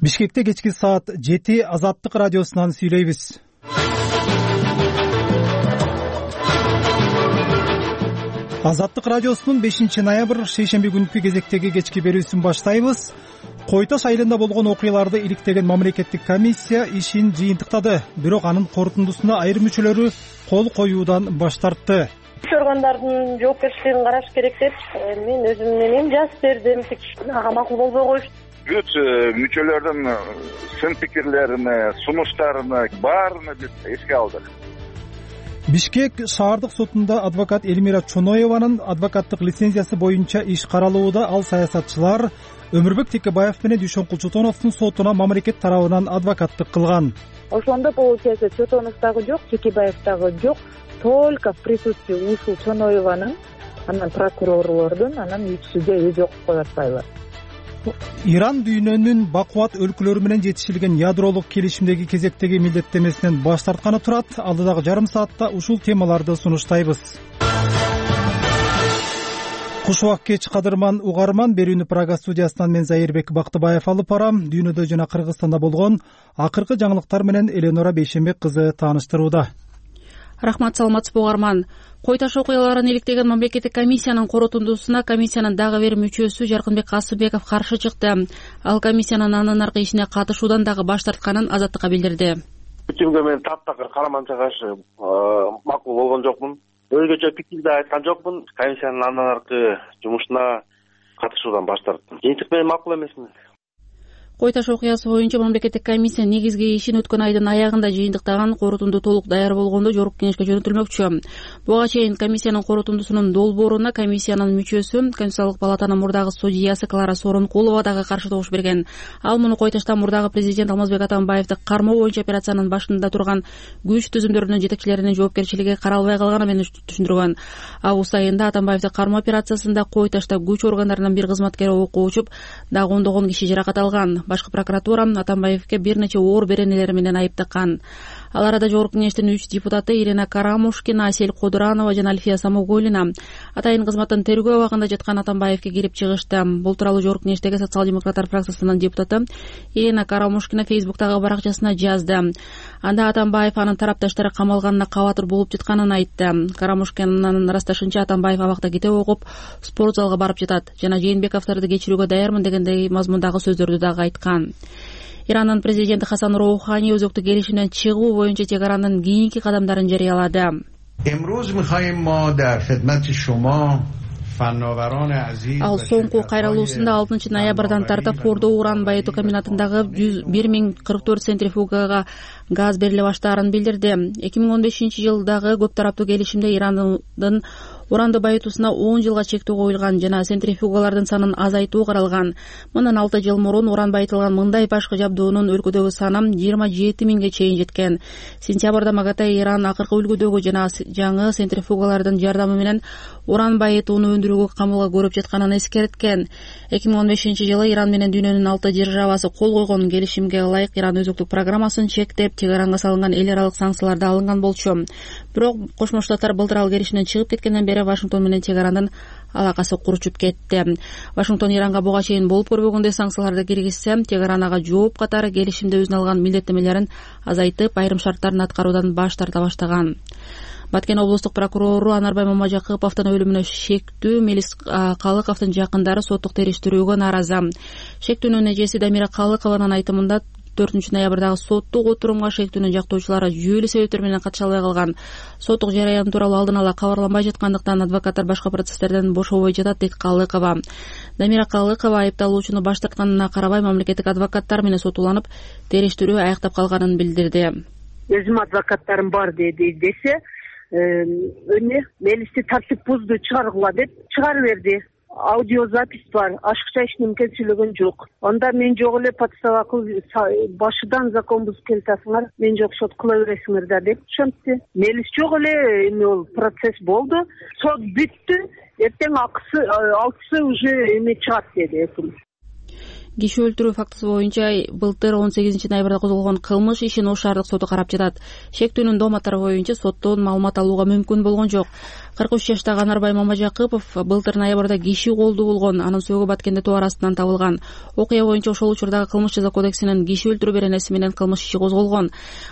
Бишкекте кечки саат 7 Азаттык радиосунан сүйлөйбүз. Азаттык радиосунун 5-ноябрь шейшемби күнкү кезектеги кечки берүүсүн баштайбыз. Кой Таш айылында болгон окуяларды иликтеген мамлекеттик комиссия ишин жыйынтыктады, бирок анын корутундусуна айрым мүчөлөрү кол коюудан баш тартты. Иш органдардын жоопкерчилигин караш керек деп мен өзүм менен жазып бердим. Ага макул болбой коюшту. Бүт мүчөлөрдүн сын пикирлерин, сунуштарын баарына биз эске алдык. Бишкек шаардык сотунда адвокат Элмира Чоноеванын адвокаттык лицензиясы боюнча иш каралууда. Ал саясатчылар Өмүрбек Текебаев менен Дүйшөн Кулчутоновдун сотуна мамлекет тарабынан адвокаттык кылган. Ошондо получается Чотонов дагы жок, Текебаев дагы жок, только в присутствии ушул Чоноеванын, анан прокурорлордун, анан үч судья өзү окуп коюп атпайбы. Иран дүйнөнүн бакубат өлкөлөрү менен жетишилген ядролук келишимдеги кезектеги милдеттенмесинен баш тартканы турат. Алдыдагы жарым саатта ушул темаларды сунуштайбыз. Куш убак кеч кадырман угарман, берүүнү Прага студиясынан мен Зайырбек Бактыбаев алып барам. Дүйнөдө жана Кыргызстанда болгон акыркы жаңылыктар менен Эленора Бейшембек кызы тааныштырууда. Рахмат, саламатсызбы угарман. Кой Таш окуяларын иликтеген мамлекеттик комиссиянын корутундусуна комиссиянын дагы бир мүчөсү Жаркынбек Касымбеков каршы чыкты. Ал комиссиянын анын аркы ишине катышуудан дагы баш тартканын Азаттыкка билдирди. Үчүмгө мен таптакыр караманча каршы макул болгон жокмун. Өзгөчө пикир да айткан жокмун. Комиссиянын андан аркы жумушуна катышуудан баш тарттым. Жыйынтык менен макул эмесмин. Кой Таш окуясы боюнча мамлекеттик комиссия негизги ишин өткөн айдын аягында жыйынтыктаган, корутунду толук даяр болгондо жогорку кеңешке жөнөтүлмөкчү. Буга чейин комиссиянын корутундусунун долбооруна комиссиянын мүчөсү, Конституциялык палатанын мурдагы судьясы Клара Сооронкулова дагы каршы добуш берген. Ал муну Кой Таштан мурдагы президент Алмазбек Атамбаевди кармоо боюнча операциянын башында турган күч түзүмдөрүнүн жетекчилеринин жоопкерчилиги каралбай калганы менен түшүндүргөн. Август айында Атамбаевди кармоо операциясында Кой Ташта күч органдарынын бир кызматкери окко учуп, дагы ондогон киши жаракат алган. Башкы прокуратура Атамбаевге бир нече оор беренелери менен айыптаган. Ал арада жогорку кеңештин 3 депутаты Ирина Карамушкина, Асель Кодуранова жана Альфия Самоголина атайын кызматтан тергөө абагында жаткан Атамбаевге кирип чыгышты. Бул тууралуу жогорку кеңештеги социал-демократтар фракциясынын депутаты Ирина Карамушкина Фейсбуктагы баракчасына жазды. Анда Атамбаев анын тарапташтары камалганына кабатыр болуп жатканын айтты. Карамушкинанын ырасташынча Атамбаев абакта китеп окуп, спорт залга барып жатат жана Жээнбековдорду кечирүүгө даярмын дегендей мазмундагы сөздөрдү дагы айткан. Иранын президенти Хасан Роухани өзөктүк келишимден чыгуу боюнча Тегеранын кийинки кадамдарын жарыялады. Ал соңку кайрылуусунда 6 ноябрдан тартып Фордо уран байытуу комбинатындагы 1044 центрифугага газ бериле баштаарын билдирди. 2015-жылдагы көп тараптуу келишимде Ирандын уранды байытуусуна 10 жылга чектөө коюлган жана центрифугалардын санын азайтуу каралган. Мындан 6 жыл мурун уран байытылган мындай башкы жабдуунун өлкөдөгү саны 27 миңге чейин жеткен. Сентябрда МАГАТЭ Иран акыркы үлгүдөгү жана жаңы центрифугалардын жардамы менен уран байытууну өндүрүүгө камылга көрүп жатканын эскерткен. 2015-жылы Иран менен дүйнөнүн 6 державасы кол койгон келишимге ылайык Иран өзөктүк программасын чектеп, Тегеранга салынган эл аралык санкцияларды алынган болчу. Бирок Кошмо Штаттар былтыр ал келишимден чыгып кеткенден бери Вашингтон менен Тегерандын алакасы куручуп кетти. Вашингтон Иранга буга чейин болуп көрбөгөндөй санкцияларды киргизсе, Тегеран ага жооп катары келишимде өзүнө алган милдеттемелерин азайтып, айрым шарттарын аткаруудан баш тарта баштаган. Баткен облустук прокурору Анарбай Мамажакыповдун өлүмүнө шектүү Мелис Калыковдун жакындары соттук териштирүүгө нааразы. Шектүүнүн эжеси Дамира Калыкованын айтымында 4 ноябрдагы соттук отурумга шектүүнүн жактоочулары жүйөлүү себептер менен катыша албай калган. Соттук жараян тууралуу алдын ала кабарланбай жаткандыктан адвокаттар башка процесстерден бошобой жатат, дейт Калыкова. Дамира Калыкова айыпталуучуну баш тартканына карабай мамлекеттик адвокаттар менен сотуланып, териштирүү аяктап калганын билдирди. Өзүм адвокаттарым бар десе, Мелисти тартип бузду чыгаргыла деп чыгарып берди. Аудиозапись бар, ашыкча эч нерсе келчилеген жок. Анда мен жок эле подстава башыдан закон бузуп келатасыңар, мен жок сот кыла бересиңер да деп түшүндү. Мелис жок эле, эми ол процесс болду, сот бүттү, эртең алтысы уже эме чыгат деди. Киши өлтүрүү фактысы боюнча былтыр 18 ноябрда козголгон кылмыш ишин Ош шаардык соту карап жатат. Шектүүнүн дооматтары боюнча соттон маалымат алууга мүмкүн болгон жок. 43 жаштагы Анарбай Мамажакыпов былтыр ноябрда киши колду болгон, анын сөөгү Баткенде тоо арасынан табылган. Окуя боюнча ошол учурдагы кылмыш жаза кодексинин киши өлтүрүү беренеси менен кылмыш иши козголгон.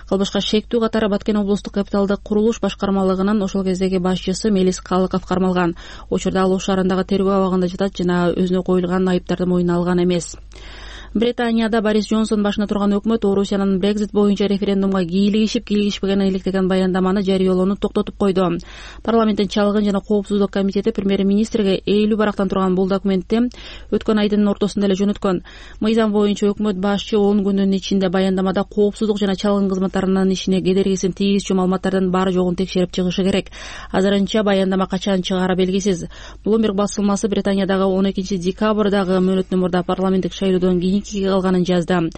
Кылмышка шектүү катары Баткен облустук капиталдык курулуш башкармалыгынын ошол кездеги башчысы Мелис Калыков кармалган. Учурда ал Ош шаарындагы тергөө абагында жатат жана өзүнө коюлган айыптарды мойнуна алган эмес. Британияда Борис Джонсон башына турган өкмөт Орусиянын Brexit боюнча референдумга кийлигишпегенин иликтеген баяндаманы жарыялоону токтотуп койду. Парламенттин чалгын жана коопсуздук комитети премьер-министрге эйлүү барактан турган бул документти өткөн айдын ортосунда эле жөнөткөн. Мыйзам боюнча өкмөт башчы 10 күндүн ичинде баяндамада коопсуздук жана чалгын кызматтарынын ишине кедергисин тийгизчү маалыматтардын баары жогун текшерип чыгышы керек. Азырынча баяндама качан чыгаары белгисиз. Bloomberg басылмасы Британиядагы 12 декабрдагы мөөнөттөн мурда парламенттик шайлоодон кийин калганын жазды.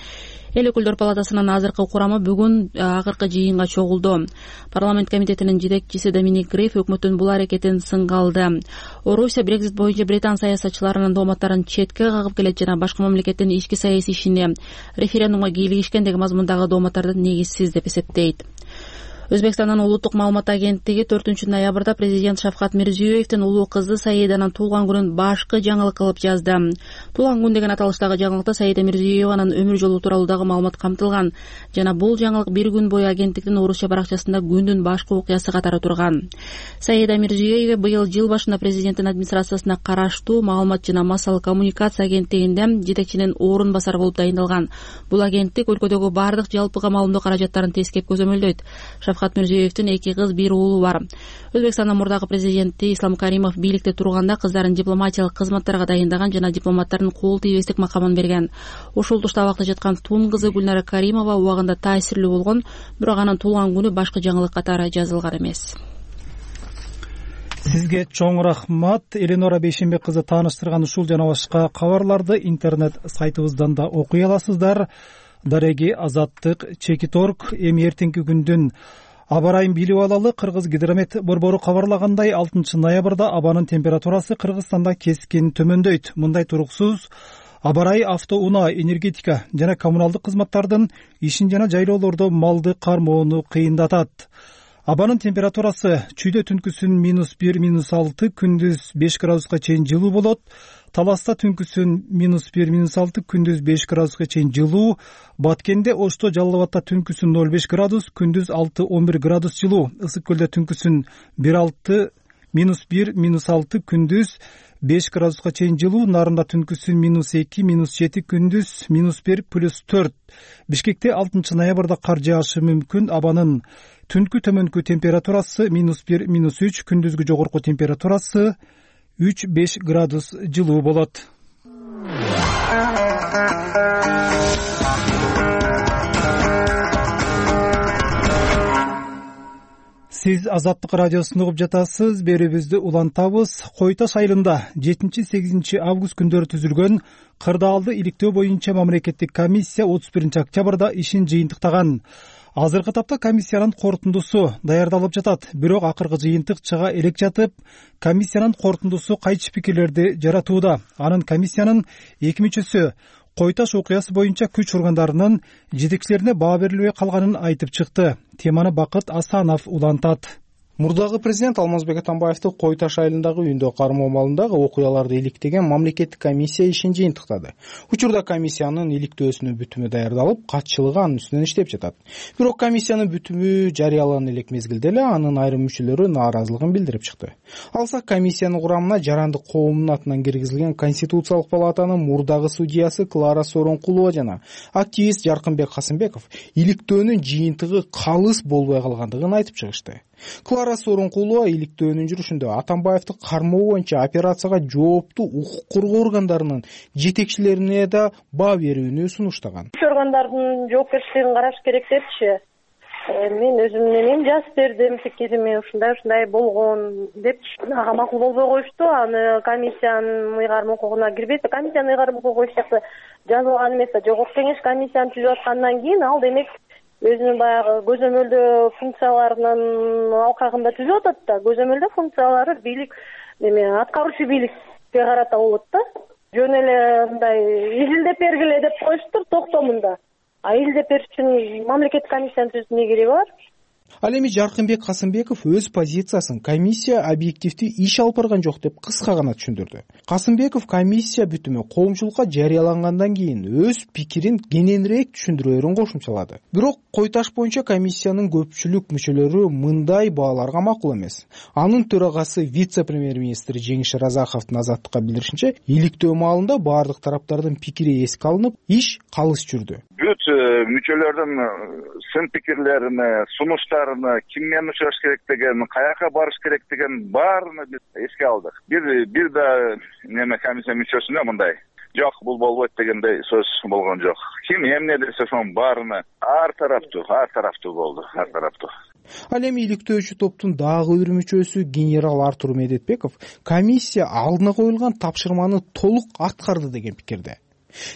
Эл өкүлдөр палатасынын азыркы курамы бүгүн акыркы жыйынга чогулду. Парламент комитетинин жетекчиси Доминик Греф өкмөттүн бул аракетин сынга алды. Орусия Brexit боюнча британ саясатчыларынын дооматтарын четке кагып келет жана башка мамлекеттин ички саясий ишине референдумга кийлигишкен деген мазмундагы дооматтарды негизсиз деп эсептейт. Өзбекстандын улуттук маалымат агенттиги 4 ноябрда президент Шавкат Мирзиёевдин улуу кызы Саиданын туулган күнүн башкы жаңылык кылып жазды. Туулган күн деген аталыштагы жаңылыкта Саида Мирзиёеванын өмүр жолу тууралуу дагы маалымат камтылган. Жана бул жаңылык бир күн бою агенттиктин Орусча баракчасында күндүн башкы окуясы катары турган. Саида Мирзиёева быйыл жыл башында президенттин администрациясына караштуу маалымат жана массалык коммуникация агенттигинде жетекчинин орун басары болуп дайындалган. Бул агенттик өлкөдөгү бардык жалпыга маалымдоо каражаттарын тескеп көзөмөлдөйт. Шавкат Мирзиёевдин 2 кыз, 1 уулу бар. Өзбекстандын мурдагы президенти Ислам Каримов бийликте турганда кыздарын дипломатиялык кызматтарга дайындаган жана дипломаттардын кол тийбестик макамын берген. Ошол тушта абакта жаткан тун кызы Гүлнара Каримова убагында таасирлүү болгон, бирок анын туулган күнү башкы жаңылык катары жазылган эмес. Сизге чоң рахмат. Эленора Бейшенбек кызы тааныштырган ушул жана башка кабарларды интернет сайтыбыздан да окуй аласыздар. Дареги, Азаттык, Чекиторг. Эми эртеңки күндүн аба ырайын билип алалы. Кыргыз гидромет борбору кабарлагандай 6 ноябрда абанын температурасы Кыргызстанда кескин төмөндөйт. Мындай туруксуз аба ырайы автоунаа, энергетика жана коммуналдык кызматтардын ишин жана жайлоолордо малды кармоону кыйындатат. Абанын температурасы чүйдө түнкүсүн -1, -6, күндүз 5 градуска чейин жылуу болот. Таласта түнкүсүн -1, -6, күндүз 5 градуска чейин жылуу. Баткенде, Ошто, Жалал Абадта түнкүсүн 0,5 градус, күндүз 6-11 градус жылуу. Ысык көлдө түнкүсүн -1, -6, күндүз 5 градуска чейин жылуу. Нарында түнкүсүн -2, -7, күндүз -1, +4. Бишкекте 6 ноябрда кар жаашы мүмкүн. Абанын түнкү төмөнкү температурасы -1, -3, күндүзгү жогорку температурасы 3-5 градус жылуу болот. Сиз Азаттык радиосун угуп жатасыз. Берүүбүздү улантабыз. Кой Таш айылында 7-8 август күндөрү түзүлгөн кырдаалды иликтөө боюнча мамлекеттик комиссия 31 октябрда ишин жыйынтыктаган. Азыркы тапта комиссиянын корутундусу даярдалып жатат. Бирок акыркы жыйынтык чыга элек жатып, комиссиянын корутундусу кайчы пикирлерди жаратууда. Анын комиссиянын 2 мүчөсү Кой Таш окуясы боюнча күч органдарынын жетекчилерине баа берилбей калганын айтып чыкты. Теманы Бакыт Асанов улантат. Мурдагы президент Алмазбек Атамбаевди Кой Таш айылындагы үйүндө кармоо маалындагы окуяларды иликтеген мамлекеттик комиссия ишин жыйынтыктады. Учурда комиссиянын иликтөөсүнүн бүтүмү даярдалып, катчылыгы анын үстүнөн иштеп жатат. Бирок комиссиянын бүтүмү жарыяланган элек мезгилде эле анын айрым мүчөлөрү нааразылыгын билдирип чыкты. Алсак, комиссиянын курамына жарандык коомдун атынан киргизилген Конституциялык палатанын мурдагы судьясы Клара Сооронкулова жана активист Жаркынбек Касымбеков иликтөөнүн жыйынтыгы калыс болбой калгандыгын айтып чыгышты. Клара Сооронкулова иликтөөнүн жүрүшүндө Атамбаевди кармоо боюнча операцияга жооптуу укук коргоо органдарынын жетекчилерине да баа берүүнү сунуштаган. Органдардын жоопкерчилигин караш керек депчи. Мен өзүмдүн жазып бердим пикирими, ушундай болгон деп ага макул болбой коюшту. Аны комиссиянын ыйгарым укугуна кирбейт. Комиссиянын ыйгарым укугу эч жакта жазылган эмес. Жогорку кеңеш комиссияны түзүп аткандан кийин ал демек өзүнүн баягы көзөмөлдөө функцияларынын алкагында түзүп атат да. Көзөмөлдөө функциялары бийлик аткаруучу бийликке карата болот да. Жөн эле мындай изилдеп бергиле деп коюштур токтомунда. Изилдеп бериш үчүн мамлекеттик комиссиянын түзүүнүн кереги бар. Ал эми Жаркынбек Касымбеков өз позициясын комиссия объективдүү иш алып барган жок деп кыска гана түшүндүрдү. Касымбеков комиссия бүтүмү коомчулукка жарыялангандан кийин өз пикирин кененирээк түшүндүрөөрүн кошумчалады. Бирок Кой Таш боюнча комиссиянын көпчүлүк мүчөлөрү мындай бааларга макул эмес. Анын төрагасы вице-премьер-министр Жеңиш Разаховдун Азаттыкка билдиришинче, иликтөө маалында баардык тараптардын пикири эске алынып, иш калыс жүрдү. Бүт мүчөлөрдүн сын пикирлеrini, сунуштарını, киммен учураш керек деген, каяка барыш керек деген баарыны биз эске алдык. Бир да комиссия мүчөсүнө мындай жок, бул болбойт дегендей сөз болгон жок. Ким эмне десе ошонун баарына ар тараптуу болду. Ал эми иликтөөчү топтун дагы бир мүчөсү генерал Артур Медетбеков комиссия алдына коюлган тапшырманы толук аткарды деген пикирде.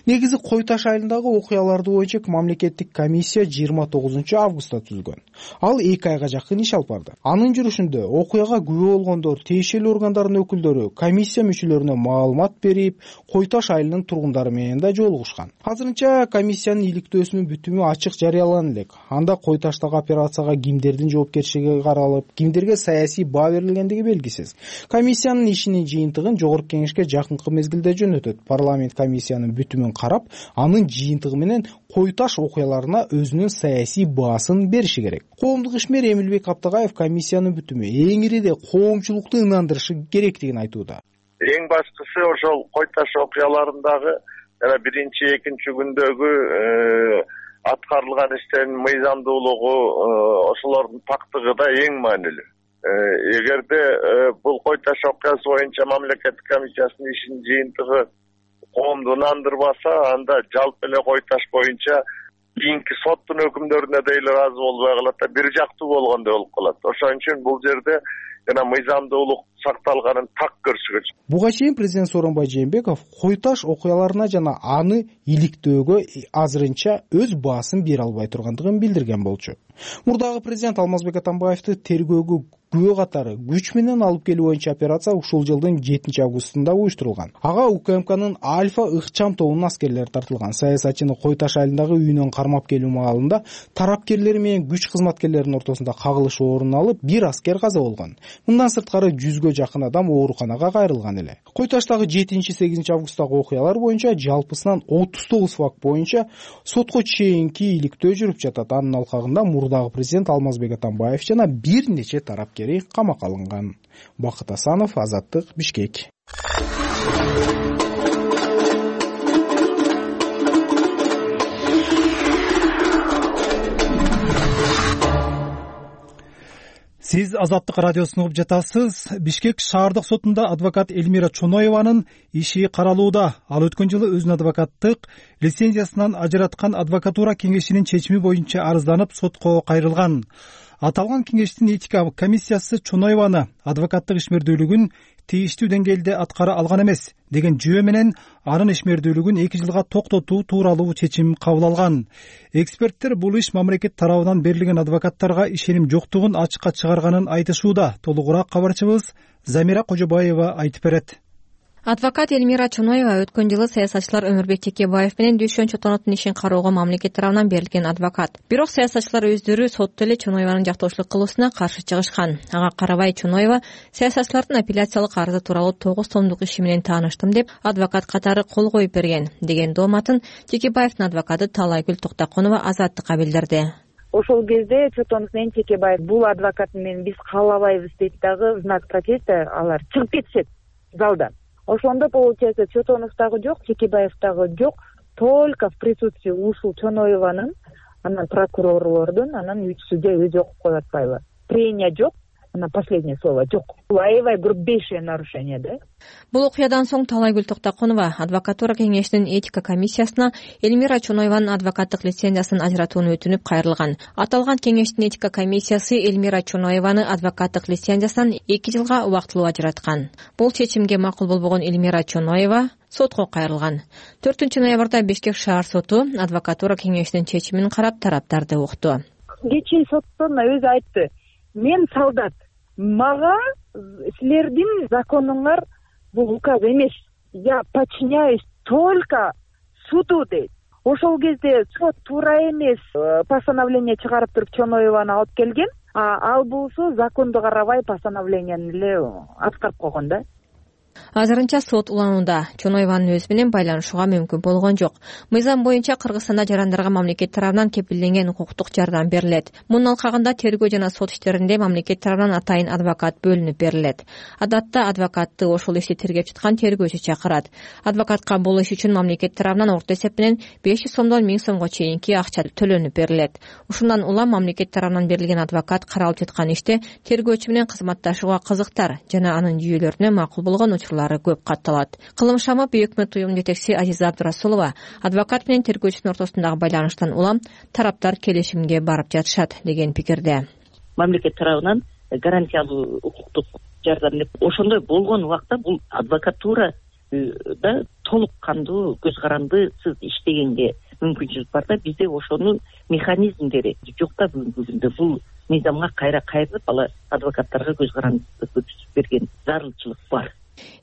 Негизи Кой Таш айылындагы окуяларды боюнча мамлекеттик комиссия 29 августта түзүлгөн. Ал 2 айга жакын иш алып барды. Анын жүрүшүндө окуяга күбө болгондор, тиешелүү органдардын өкүлдөрү комиссия мүчөлөрүнө маалымат берип, Кой Таш айылынын тургундары менен да жолугушкан. Азырынча комиссиянын иликтөөсүнүн бүтүмү ачык жарыялана элек. Анда Кой Таштагы операцияга кимдердин жоопкерчилиги каралып, кимдерге саясий баа берилгендиги белгисиз. Комиссиянын ишинин жыйынтыгын жогорку кеңешке жакынкы мезгилде жөнөтөт. Парламент комиссиянын бүтүмүн карап, анын жыйынтыгы менен Кой Таш окуяларына өзүнүн саясий баасын бериши керек. Коомдук ишмер Эмилбек Аптагаев комиссиянын бүтүмү эң ириде коомчулукту ынандырышы керектигин айтууда. Эң башкысы ошол Кой Таш окуяларындагы жана биринчи, экинчи күндөгү аткарылган иштердин мыйзамдуулугу, ошолордун пактыгы да эң маанилүү. Эгерде бул Кой Таш окуясы боюнча мамлекеттик комиссиясынын ишинин жыйынтыгы коомду ынандырбаса, анда жалпы эле Кой Таш боюнча кийинки соттун өкүмдөрүнө да эле ыраазы болбой калат да, бир жактуу болгондой болуп калат. Ошон үчүн бул жерде жана мыйзамдуулук сакталганын так көрсөтөт. Буга чейин президент Сооронбай Жээнбеков Кой Таш окуяларына жана аны иликтөөгө азырынча өз баасын бере албай тургандыгын билдирген болчу. Мурдагы президент Алмазбек Атамбаевди тергөөгө күбө катары күч менен алып келүү боюнча операция ушул жылдын 7 августунда уюштурулган. Ага УКМКнын Альфа ыкчам тобунун аскерлери тартылган. Саясатчыны Кой Таш айылындагы үйүнөн кармап келүү маалында тараптерлери менен күч кызматкерлеринин ортосунда кагылыш орун алып, бир аскер каза болгон. Мындан сырткары 100гө жакын адам ооруканага кайрылган эле. Кой Таштагы 7-8 августтагы окуялар боюнча жалпысынан 39 факт боюнча сотко чейинки иликтөө жүрүп жатат. Анын алкагында мурдагы президент Алмазбек Атамбаев жана бир нече тарапкери камакка алынган. Бакыт Асанов, Азаттык, Бишкек. Сиз Азаттык радиосун угуп жатасыз. Бишкек шаардык сотунда адвокат Элмира Чоноеванын иши каралууда. Ал өткөн жылы өзүнүн адвокаттык лицензиясынан ажыраткан адвокатура кеңешинин чечими боюнча арызданып сотко кайрылган. Аталган кеңештин этика комиссиясы Чоноеваны адвокаттык ишмердүүлүгүн тийиштүү деңгээлде аткара алган эмес деген жүйө менен анын ишмердүүлүгүн 2 жылга токтотуу тууралуу чечим кабыл алган. Эксперттер бул иш мамлекет тарабынан берилген адвокаттарга ишеним жоктугун ачыкка чыгарганын айтышууда. Толугураак кабарчыбыз Замира Кожобаева айтып берет. Адвокат Элмира Чоноева өткөн жылы саясатчылар Өмүрбек Текебаев менен Дүйшөн Чотоновдун ишин кароого мамлекет тарабынан берилген адвокат. Бирок саясатчылар өздөрү сотто эле Чоноеванын жактоочулук кылуусуна каршы чыгышкан. Ага карабай Чоноева саясатчылардын апелляциялык арызы тууралуу 9 томдук иши менен тааныштым деп адвокат катары кол коюп берген деген дооматын Текебаевдин адвокаты Талайгүл Токтоконова Азаттыкка билдирди. Ошол кезде Чотонов менен Текебаев бул адвокат менен биз каалабайбыз дейт дагы знак протеста алар чыгып кетишет залдан. Ошондо получается Чотоновдагы жок, Текебаевдагы жок, только в присутствии ушул Чоноеванын, анан прокурорлордун, анан үчүсүдө өзү окуп коюп атпайбы. Прения жок, анан последнее слово жок. Аябай грубейшее нарушение, да? Бул окуядан соң Талайгүл Токтоконова адвокатура кеңешинин этика комиссиясына Элмира Чоноеванын адвокаттык лицензиясын ажыратууну өтүнүп кайрылган. Аталган кеңештин этика комиссиясы Элмира Чоноеваны адвокаттык лицензиясынан 2 жылга убактылуу ажыраткан. Бул чечимге макул болбогон Элмира Чоноева сотко кайрылган. 4 ноябрда Бишкек шаар соту адвокатура кеңешинин чечимин карап тараптарды укту. Кечээ соттон өзү айтты: "Мен солдат, мага силердин законуңар бул указ эмес. Я подчиняюсь только суду" дейт. Ошол кезде сот туура эмес постановление чыгарып туруп Чоноеваны алып келген. ал болсо законду карабай постановленияны эле аткарып койгон да. Азырынча сот уланууда. Чоноеванын өзү менен байланышууга мүмкүн болгон жок. Мыйзам боюнча Кыргызстанда жарандарга мамлекет тарабынан кепилденген укуктук жардам берилет. Мунун алкагында тергөө жана сот иштеринде мамлекет тарабынан атайын адвокат бөлүнүп берилет. Адатта адвокатты ошол ишти тергеп жаткан тергөөчү чакырат. Адвокатка бул иш үчүн мамлекет тарабынан орто эсеп менен 500 сомдон 1000 сомго чейинки акча төлөнүп берилет. Ушундан улам мамлекет тарабынан берилген адвокат каралып жаткан иште тергөөчү менен кызматташууга кызыктар жана анын жүйөлөрүнө макул болгон учурлары көп катталат. Кылым Шамов өкмөт уюмунун жетекчиси Азиза Абдурасулова адвокат менен тергөөчүнүн ортосундагы байланыштан улам тараптар келишимге барып жатышат деген пикирде. Мамлекет тарабынан гарантиялуу укуктук жардам деп ошондой болгон убакта бул адвокатура да толук кандуу көз карандысыз иштегенге мүмкүнчүлүк бар да, бизде ошонун механизмдери жок да бүгүнкү күндө. Бул мыйзамга кайрылып ала адвокаттарга көз карандысыз берген зарылчылык бар.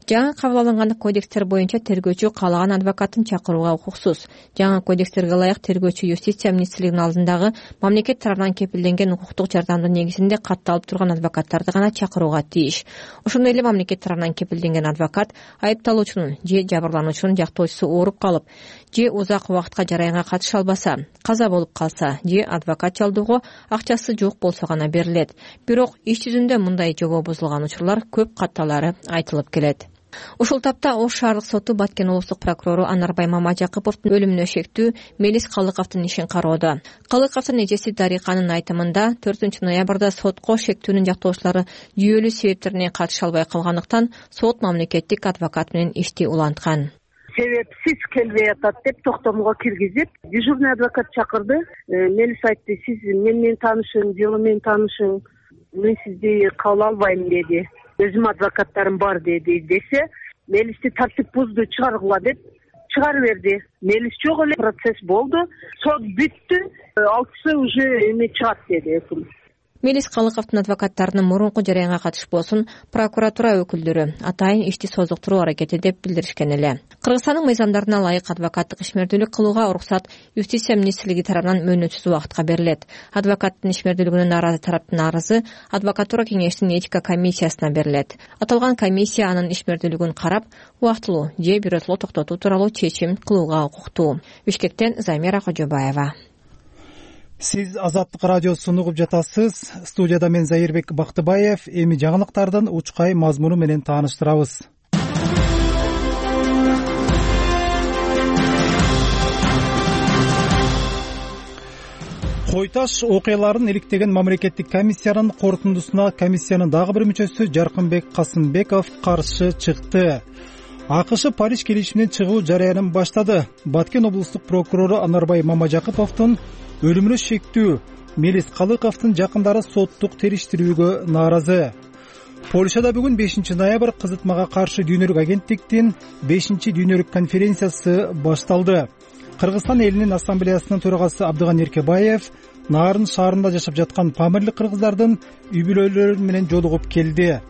Жаңы кабыл алынган кодекстер боюнча тергөөчү каалаган адвокатын чакырууга укуксуз. Жаңы кодекстерге ылайык тергөөчү юстиция министрлигинин алдындагы мамлекет тарабынан кепилденген укуктук жардамдын негизинде катталып турган адвокаттарды гана чакырууга тийиш. Ошондой эле мамлекет тарабынан кепилденген адвокат айыпталуучунун же жабырлануучунун жактоочусу ооруп калып, же узак убакытка жараянга катыша албаса, каза болуп калса, же адвокат жалдоого акчасы жок болсо гана берилет. Бирок иш жүзүндө мындай жобо бузулган учурлар көп катталары айтылып келет. Ушул тапта Ош шаардык соту Баткен облустук прокурору Анарбай Мамажакыповдун өлүмүнө шектүү Мелис Калыковдун ишин кароодо. Калыковдун эжеси Дариканын айтымында 4 ноябрда сотко шектүүнүн жактоочулары жүйөлүү себептерине катыша албай калгандыктан сот мамлекеттик адвокат менен ишти уланткан. Себепсиз келбей атат деп токтомго киргизип, дежурный адвокат чакырды. Мелис айтты, сиз менен таанышың, жылы менен таанышың, мен сизди кабыл албайм деди. Өзүм адвокаттарым бар десе, Мелисти тартип бузду, чыгаргыла деп чыгарып берди. Мелис жок эле, процесс болду, сот бүттү, 6-сы уже эме чыгат деди өкүм. Мелис Калыковдун адвокаттарынын мурунку жараянга катышпосун прокуратура өкүлдөрү атайын ишти созуктуруу аракети деп билдиришкен эле. Кыргызстандын мыйзамдарына ылайык адвокаттык ишмердүүлүк кылууга уруксат юстиция министрлиги тарабынан мөөнөтсүз убакытка берилет. Адвокаттын ишмердүүлүгүнө нааразы тараптын арызы адвокатура кеңешинин этика комиссиясына берилет. Аталган комиссия анын ишмердүүлүгүн карап, убактылуу же бирөтөлө токтотуу тууралуу чечим кылууга укуктуу. Бишкектен Замира Кожобаева. Сиз Азаттык радиосун угуп жатасыз. Студияда мен Зайырбек Бактыбаев. Эми жаңылыктардын учкай мазмуну менен тааныштырабыз. Кой Таш окуяларын иликтеген мамлекеттик комиссиянын корутундусуна комиссиянын дагы бир мүчөсү Жаркынбек Касымбеков каршы чыкты. АКШ Париж келишиминен чыгуу жарыянын баштады. Баткен облустук прокурору Анарбай Мамажакыповдун өлүмүнө шектүү Мелис Калыковдун жакындары соттук териштирүүгө нааразы. Польшада бүгүн 5 ноябрь кызытмага каршы дүйнөлүк агенттиктин 5-дүйнөлүк конференциясы башталды. Кыргызстан элинин ассамблеясынын төрагасы Абдыган Эркебаев Нарын шаарында жашап жаткан памирлик кыргыздардын үй бүлөлөрү менен жолугуп келди.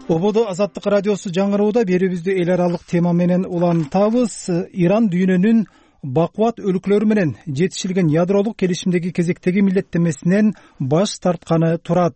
Ободо Азаттык радиосу жаңырууда берүүбүздү эл аралык тема менен улантабыз. Иран дүйнөнүн бакубат өлкөлөрү менен жетишилген ядролук келишимдеги кезектеги милдеттенмесинен баш тартканы турат.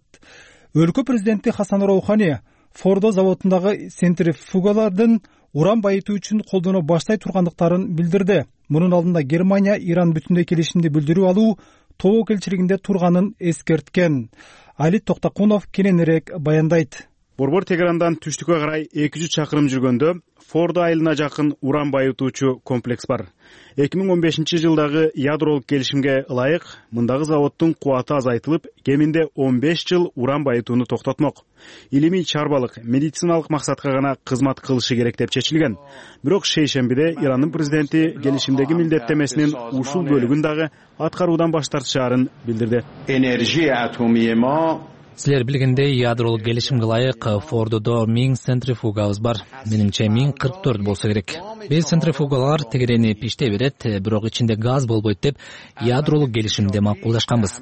Өлкө президенти Хасан Роухани Фордо заводундагы центрифугалардын уран байытуу үчүн колдоно баштай тургандыктарын билдирди. Мунун алдында Германия Иран бүтүндөй келишимди бүлдүрүп алуу тобокелчилигинде турганын эскерткен. Али Токтакунов кененирээк баяндайт. Борбор Тегерандан түштүккө карай 200 чакырым жүргөндө Фордо айылына жакын уран байытуучу комплекс бар. 2015 жылдагы ядролук келишимге ылайык мындагы заводдун кубаты азайтылып, кеминде 15 жыл уран байытууну токтотмок. Илимий чарбалык, медициналык максатка гана кызмат кылышы керек деп чечилген. Бирок шейшембиде Ирандын президенти келишимдеги милдеттенмесинин ушул бөлүгүн дагы аткаруудан баш тартышаарын билдирди. Силер билгендей, ядролук келишимге ылайык Фордодо 1000 центрифугабыз бар. Менимче 1044 болсо керек. Биз центрифугалар тегеренип иштей берет, бирок ичинде газ болбойт деп ядролук келишимде макулдашканбыз.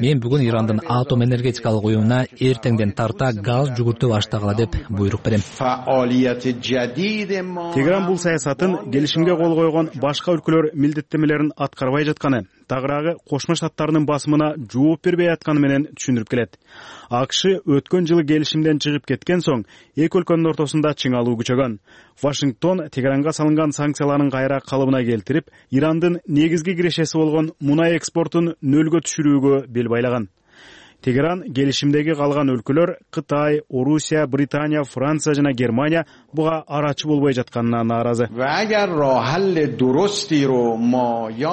Мен бүгүн Ирандын атом энергетикалык уюмуна эртеңден тарта газ жүгүртүп баштагыла деп буйрук берем. Тегеран бул саясатын келишимге кол койгон башка өлкөлөр милдеттенмелерин аткарбай жатканы, тагыраагы Кошмо Штаттарынын басымына жооп бербей атканы менен түшүндүрүп келет. АКШ өткөн жылы келишимден чыгып кеткен соң эки өлкөнүн ортосунда чыңалуу күчөгөн. Вашингтон Тегеранга салынган санкцияларын кайра калыбына келтирип, Ирандын негизги кирешеси болгон мунай экспортун нөлгө түшүрүүгө бел байлаган. Тегеран келишимдеги калган өлкөлөр Кытай, Орусия, Британия, Франция жана Германия буга арачы болбой жатканына нааразы.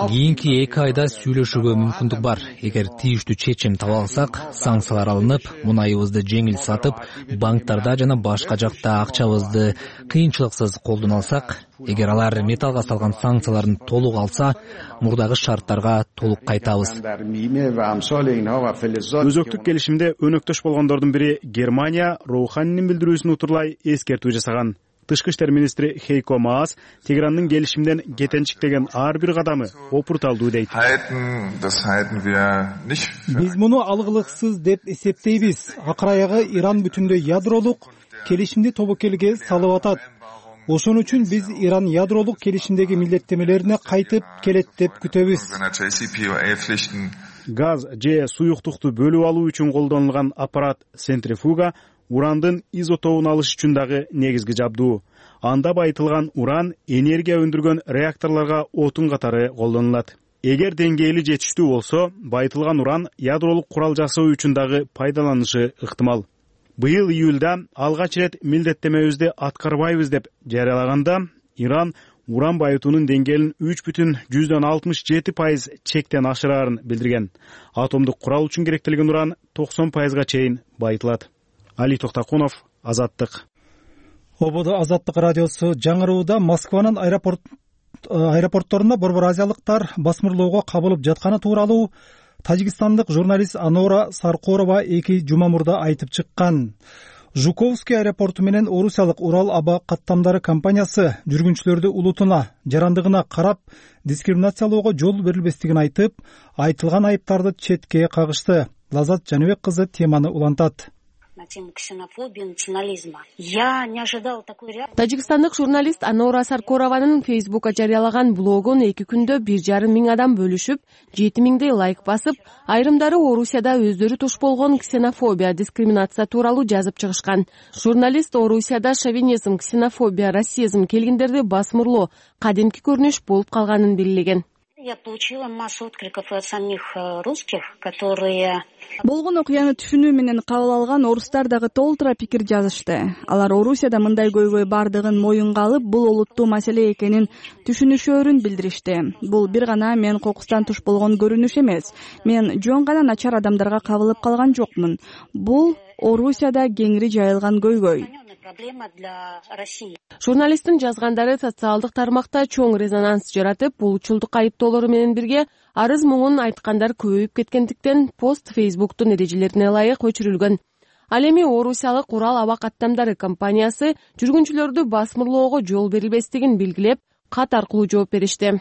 Кийинки 2 айда сүйлөшүүгө мүмкүндүк бар. Эгер тийиштүү чечим таба алсак, санкциялар алынып, мунайыбызды жеңил сатып, банктарда жана башка жакта акчабызды кыйынчылыксыз колдоно алсак, эгер алар металлга салган санкцияларын толук алса, мурдагы шарттарга толук кайтабыз. Өзөктүк келишимде өнөктөш болгондордун бири Германия Роуханинин билдирүүсүн утурлай эскертүү жасаган. Тышкы иштер министри Хейко Маас Тегерандын келишимден кетенчиктеген ар бир кадамы опурталдуу дейт. Биз муну алгылыксыз деп эсептейбиз. Акыр аягы Иран бүтүндөй ядролук келишимди тобокелге салып атат. Ошон үчүн биз Иран ядролук келишимдеги милдеттемелерине кайтып келет деп күтөбүз. Газ же суюктукту бөлүп алуу үчүн колдонулган аппарат центрифуга урандын изотопун алыш үчүн дагы негизги жабдуу. Анда байытылган уран энергия өндүргөн реакторлорго отун катары колдонулат. Эгер деңгээли жетиштүү болсо, байытылган уран ядролук курал жасоо үчүн дагы пайдаланышы ыктымал. Быйыл июлда алгач ирет милдеттемебизди аткарбайбыз деп жарыялаганда, Иран уран байытуунун деңгээлин 3,67% чектен ашыраарын билдирген. Атомдук курал үчүн керектелген уран 90%га чейин байытылат. Али Токтакунов, Азаттык. Ободо Азаттык радиосу жаңырууда Москванын аэропортторунда борбор азиялыктар басмырлоого кабылып жатканы тууралуу тажикстандык журналист Анора Саркорова 2 жума мурда айтып чыккан. Жуковский аэропорту менен Орусиялык Урал аба каттамдары компаниясы жүргүнчүлөрдү улутуна, жарандыгына карап дискриминациялоого жол берилбестигин айтып, айтылган айыптарды четке кагышты. Лазат Жаныбек кызы теманы улантат. Тажикстандык журналист Анора Саркорованын Фейсбукка жарыялаган блогун 2 күндө 1,5 миң адам бөлүшүп, 7 миңдей лайк басып, айрымдары Орусияда өздөрү туш болгон ксенофобия, дискриминация тууралуу жазып чыгышкан. Журналист Орусияда шовинизм, ксенофобия, расизм келгендерди басмырлоо кадимки көрүнүш болуп калганын белгилеген. Я получила массу откликов от самих русских, которые... Болгон окуяны түшүнүү менен кабыл алган орустар дагы толтура пикир жазышты. Алар Орусияда мындай көйгөй бардыгын моюнга алып, бул олуттуу маселе экенин түшүнүшөөрүн билдиришти. Бул бир гана мен кокустан туш болгон көрүнүш эмес. Мен жөн гана начар адамдарга кабылып калган жокмун. Бул Орусияда кеңири жайылган көйгөй. Журналисттин жазгандары социалдык тармакта чоң резонанс жаратып, булчулдук айыптоолору менен бирге арыз муңун айткандар көбөйүп кеткендиктен пост Фейсбуктун эрежелерине ылайык өчүрүлгөн. Ал эми Орусиялык Урал аба каттамдары компаниясы жүргүнчүлөрдү басмырлоого жол берилбестигин белгилеп, кат аркылуу жооп беришти.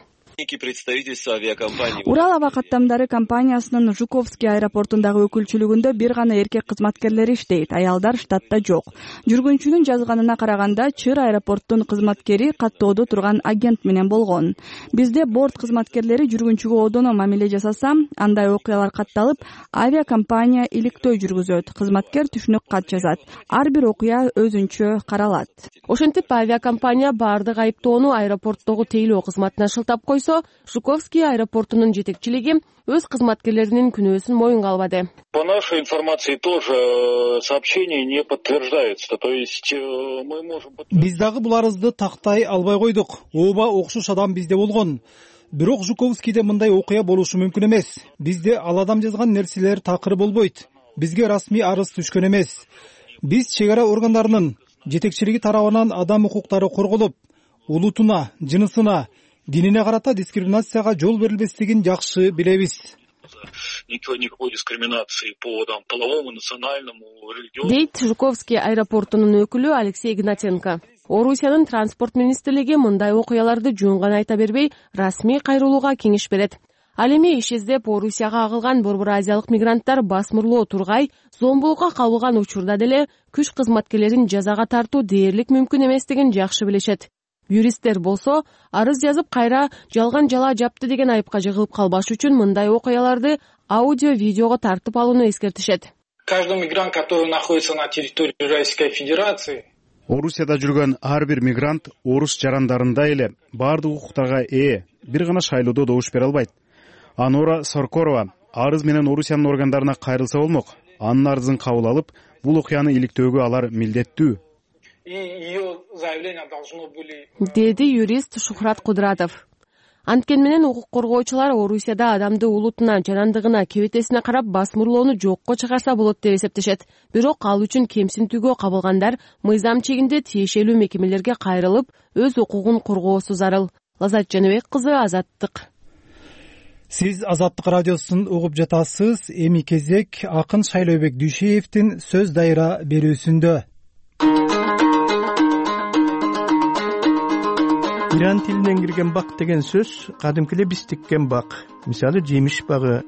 Урал аба каттамдары компаниясынын Жуковский аэропортундагы өкүлчүлүгүндө бир гана эркек кызматкерлери иштейт, аялдар штатта жок. Жүргүнчүнүн жазганына караганда, Чыр аэропорттун кызматкери каттоодо турган агент менен болгон. Бизде борт кызматкерлери жүргүнчүгө одоно мамиле жасаса, андай окуялар катталып, авиакомпания иликтөө жүргүзөт, кызматкер түшүнүк кат жазат. Ар бир окуя өзүнчө каралат. Ошентип авиакомпания баардык айыптоону аэропорттогу тейлөө кызматына шылтап койсо, Жуковский аэропортунун жетекчилиги өз кызматкерлеринин күнөөсүн моюнга албады. По нашей информации тоже сообщение не подтверждается. То есть мы можем... Биз дагы бул арызды тактай албай койдук. Ооба окшош адам бизде болгон. Бирок Жуковскийде мындай окуя болушу мүмкүн эмес. Бизде ал адам жазган нерселер такыр болбойт. Бизге расмий арыз түшкөн эмес. Биз чек ара органдарынын жетекчилиги тарабынан адам укуктары корголуп, улутуна, жынысына, динине карата дискриминацияга жол берилбестигин жакшы билебиз. Никакой дискриминации по половому, национальному, религиозному. Дейт Жуковский аэропортунун өкүлү Алексей Игнатенко. Орусиянын транспорт министрлиги мындай окуяларды жөн гана айта бербей, расмий кайрылууга кеңеш берет. Ал эми иш издеп Орусияга агылган борбор азиялык мигранттар басмырлоо тургай, зомбулукка кабылган учурда деле күч кызматкерлерин жазага тартуу дээрлик мүмкүн эместигин жакшы билишет. Юристтер болсо арыз жазып кайра жалган жала жапты деген айыпка жыгылып калбаш үчүн мындай окуяларды аудио видеого тартып алууну эскертишет. Каждый мигрант, который находится на территории Российской Федерации, Орусияда жүргөн ар бир мигрант орус жарандарындай эле баардык укуктарга ээ, бир гана шайлоодо добуш бере албайт. Анора Соркорова арыз менен Орусиянын органдарына кайрылса болмок. Анын арызын кабыл алып, бул окуяны иликтөөгө алар милдеттүү. Деди юрист Шухрат Кудратов. Анткени менен укук коргоочулар Орусияда адамды улутуна, жанандыгына, кебетесине карап басмырлоону жокко чыгарса болот деп эсептешет. Бирок ал үчүн кемсинтүүгө кабылгандар мыйзам чегинде тиешелүү мекемелерге кайрылып, өз укугун коргоосу зарыл. Лазат Жаныбек кызы, Азаттык. Сиз Азаттык радиосун угуп жатасыз. Эми кезек акын Шайлообек Дүйшеевдин сөз дайра берүүсүндө. Иран тилинен кирген бак деген сөз кадимки эле биз тиккен бак. Мисалы жемиш багы,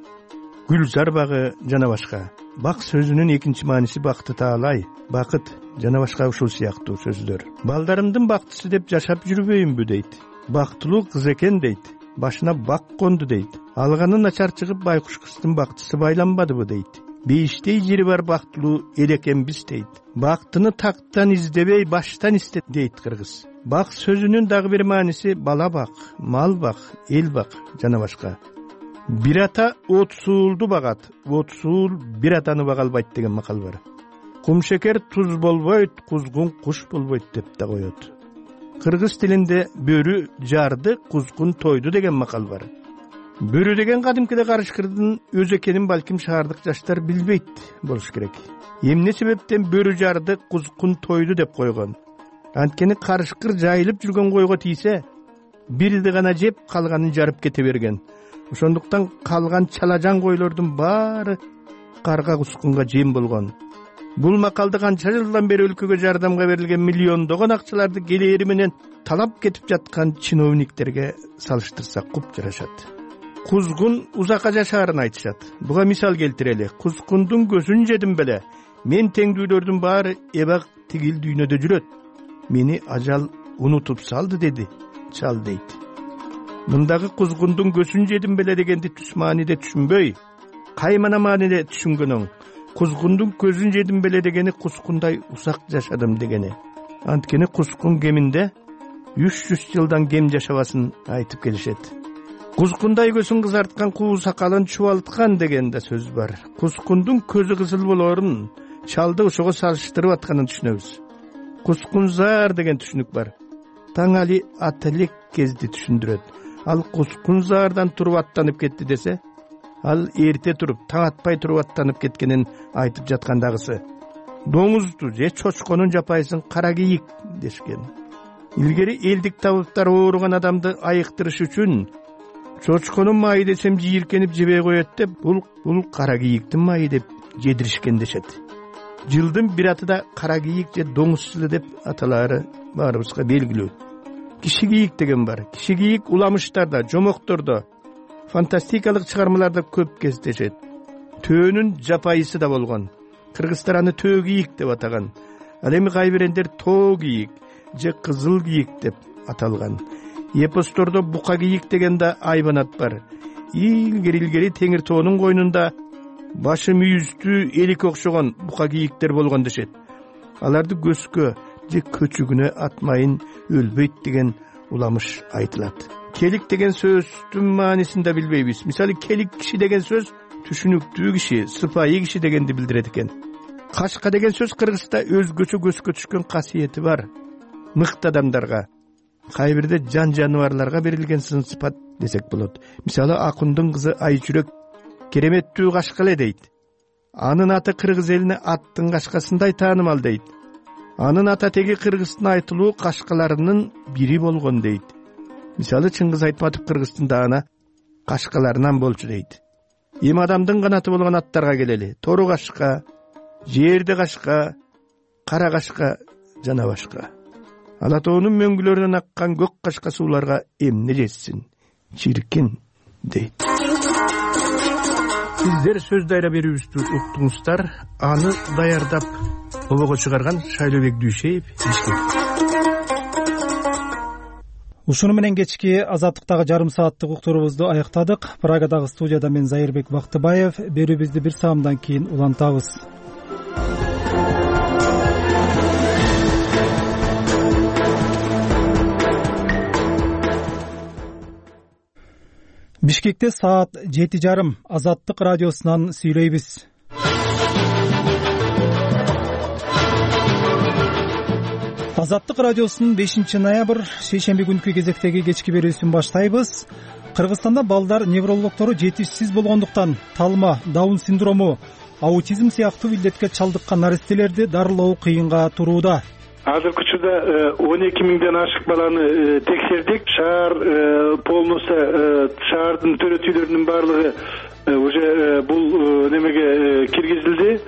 гүлзар багы жана башка. Бак сөзүнүн экинчи мааниси бакты таалай, бакыт жана башка ушул сыяктуу сөздөр. Балдарымдын бактысы деп жашап жүрбөйүнбү дейт. Бактылуу кыз экен дейт. Башына бак конду дейт. Алганы начар чыгып байкуш кыздын бактысы байланбадыбы дейт. Бейиштей жери бар бактылуу эл экенбиз дейт. Бактыны тактан издебей баштан истет дейт кыргыз. Бак сөзүнүн дагы бир мааниси бала бак, мал бак, эл бак жана башка. Бир ата от суулду багат, от суул бир атаны бага албайт деген макал бар. Кумшекер туз болбойт, кузгун куш болбойт деп да коет. Кыргыз тилинде бөрү жарды, кузгун тойду деген макал бар. Бөрү деген кадимкиде карышкырдын өзү экенин балким шаардык жаштар билбейт болуш керек. Эмне себептен бөрү жарды, кузгун тойду деп койгон? Анткени карышкыр жайылып жүргөн койго тийсе, бирди гана жеп, калганын жарып кете берген. Ошондуктан калган чалажан койлордун баары карга кускунга жем болгон. Бул макалды канча жылдан бери өлкөгө жардамга берилген миллиондогон акчаларды келери менен талап кетип жаткан чиновниктерге салыштырсак куп жарашат. Кузгун узакка жашаарын айтышат. Буга мисал келтирели. Кузгундун көзүн жедим беле. Мен теңдүүлөрдүн баары эбак тигил дүйнөдө жүрөт. Мени ажал унутуп салды деди, чал дейт. Мындагы кузгундун көзүн жедим беле дегенди түз мааниде түшүнбөй, каймана мааниде түшүнгөнөң. Кузгундун көзүн жедим беле дегени кускундай усак жашадым дегени. Анткени кускун кеминде 300 жылдан кем жашабасын айтып келишет. Кускундай көзүн кызарткан куу сакалын чубалткан деген да сөз бар. Кускундун көзү кызыл болорун чалды ошого салыштырып атканын түшүнөбүз. Кускунзар деген түшүнүк бар. Таң али ателек кезди түшүндүрөт. Ал кускунзардан туруп аттанып кетти десе, ал эрте туруп, таң атпай туруп аттанып кеткенин айтып жаткандагысы. Доңузду же чочконун жапайсын кара кийик дешкен. Илгери элдик табыптар ооруган адамды айыктырыш үчүн чочконун майы десем жийиркенип жебей коет деп, бул кара кийиктин майы деп жедиришкен дешет. Жылдын бир атыда кара кийик же доңуз жылы деп аталары баарыбызга белгилүү. Киши кийик деген бар. Киши кийик уламыштарда, жомоктордо, фантастикалык чыгармаларда көп кездешет. Төөнүн жапайысы да болгон. Кыргыздар аны төө кийик деп атаган. Ал эми кайбирендер тоо кийик же кызыл кийик деп аталган. Эпостордо бука кийик деген да айбанат бар. Илгери теңир тоонун койнунда башы мүйүздүү эликке окшогон бука кийиктер болгон дешет. Аларды көскө же көчүгүнө атмайын өлбөйт деген уламыш айтылат. Келик деген сөздүн маанисин да билбейбиз. Мисалы келик киши деген сөз түшүнүктүү киши, сыпайы киши дегенди билдирет экен. Кашка деген сөз кыргызда өзгөчө көзгө түшкөн касиети бар. Мыкты адамдарга, кайбирде жан жаныбарларга берилген сын сыпат десек болот. Мисалы Акундун кызы Айчүрөк кереметтүү кашка эле дейт. Анын аты кыргыз элине аттын кашкасындай таанымал дейт. Анын ата теги кыргыздын айтылуу кашкаларынын бири болгон дейт. Мисалы Чыңгыз Айтматов кыргыздын даана кашкаларынан болчу дейт. Эми адамдын канаты болгон аттарга келели. Тору кашка, жерде кашка, кара кашка жана башка. Ала тоонун мөңгүлөрүнөн аккан көк кашка сууларга эмне жетсин? Чиркин дейт. Сиздер сөз дайра берүүбүздү уктуңуздар. Аны даярдап обого чыгарган Шайлообек Дүйшеев. Ушуну менен кечки Азаттыктагы жарым сааттык уктуруубузду аяктадык. Прагадагы студияда мен Зайырбек Бактыбаев. Берүүбүздү бир саамдан кийин улантабыз. Бишкекте саат 7:30. Азаттык радиосунан сүйлөйбүз. Азаттык радиосунун 5 шейшемби күнкү кезектеги кечки берүүсүн баштайбыз. Кыргызстанда балдар неврологдору жетишсиз болгондуктан талма, Даун синдрому, аутизм сыяктуу илдетке чалдыккан наристелерди дарылоо кыйынга турууда. Азыркы учурда 12 миңден ашык баланы текшердик. Шаар полностью шаардын төрөтүүлөрүнүн баардыгы уже бул немеге киргизилди.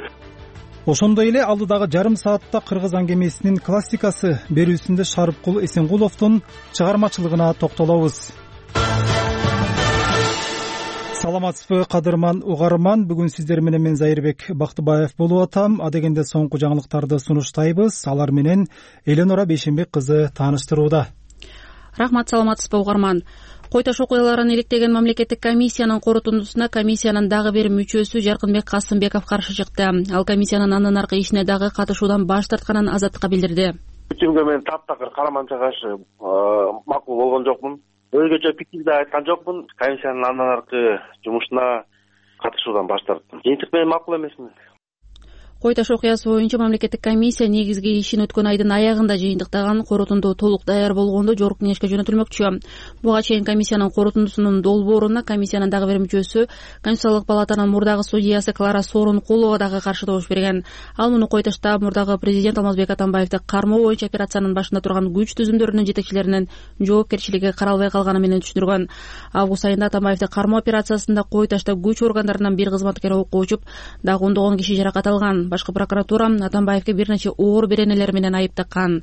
Ошондой эле алдыдагы жарым саатта кыргыз аңгемесинин классикасы берүүсүндө Шарыпкул Эсенгуловдун чыгармачылыгына токтолобуз. Саламатсызбы кадырман угарман, бүгүн сиздер менен мен Зайырбек Бактыбаев болуп атам. Адегенде соңку жаңылыктарды сунуштайбыз. Алар менен Эленора Бейшенбек кызы тааныштырууда. Рахмат, саламатсызбы угарман. Кой таш окуяларын иликтеген мамлекеттик комиссиянын корутундусуна комиссиянын дагы бир мүчөсү Жаркынбек Касымбеков каршы чыкты. Ал комиссиянын андан аркы ишине дагы катышуудан баш тартканын Азаттыкка билдирди. Бүтүнгө мен таптакыр караманча каршы макул болгон жокмун. Өзгөчө пикир да айткан жокмун. Комиссиянын андан аркы жумушуна катышуудан баш тарттым. Жыйынтык менен макул эмесмин. Кой таш окуясы боюнча мамлекеттик комиссия негизги ишин өткөн айдын аягында жыйынтыктаган, корутунду толук даяр болгондо жогорку кеңешке жөнөтүлмөкчү. Буга чейин комиссиянын корутундусунун долбооруна комиссиянын дагы бир мүчөсү, Конституциялык палатанын мурдагы судьясы Клара Сооронкулова дагы каршы добуш берген. Ал муну Кой ташта мурдагы президент Алмазбек Атамбаевди кармоо боюнча операциянын башында турган күч түзүмдөрүнүн жетекчилеринин жоопкерчилиги каралбай калганы менен түшүндүргөн. Август айында Атамбаевди кармоо операциясында Кой ташта күч органдарынан бир кызматкер окко учуп, дагы 10 киши жаракат алган. Башкы прокуратура Атамбаевге бир нече оор беренелер менен айып таккан.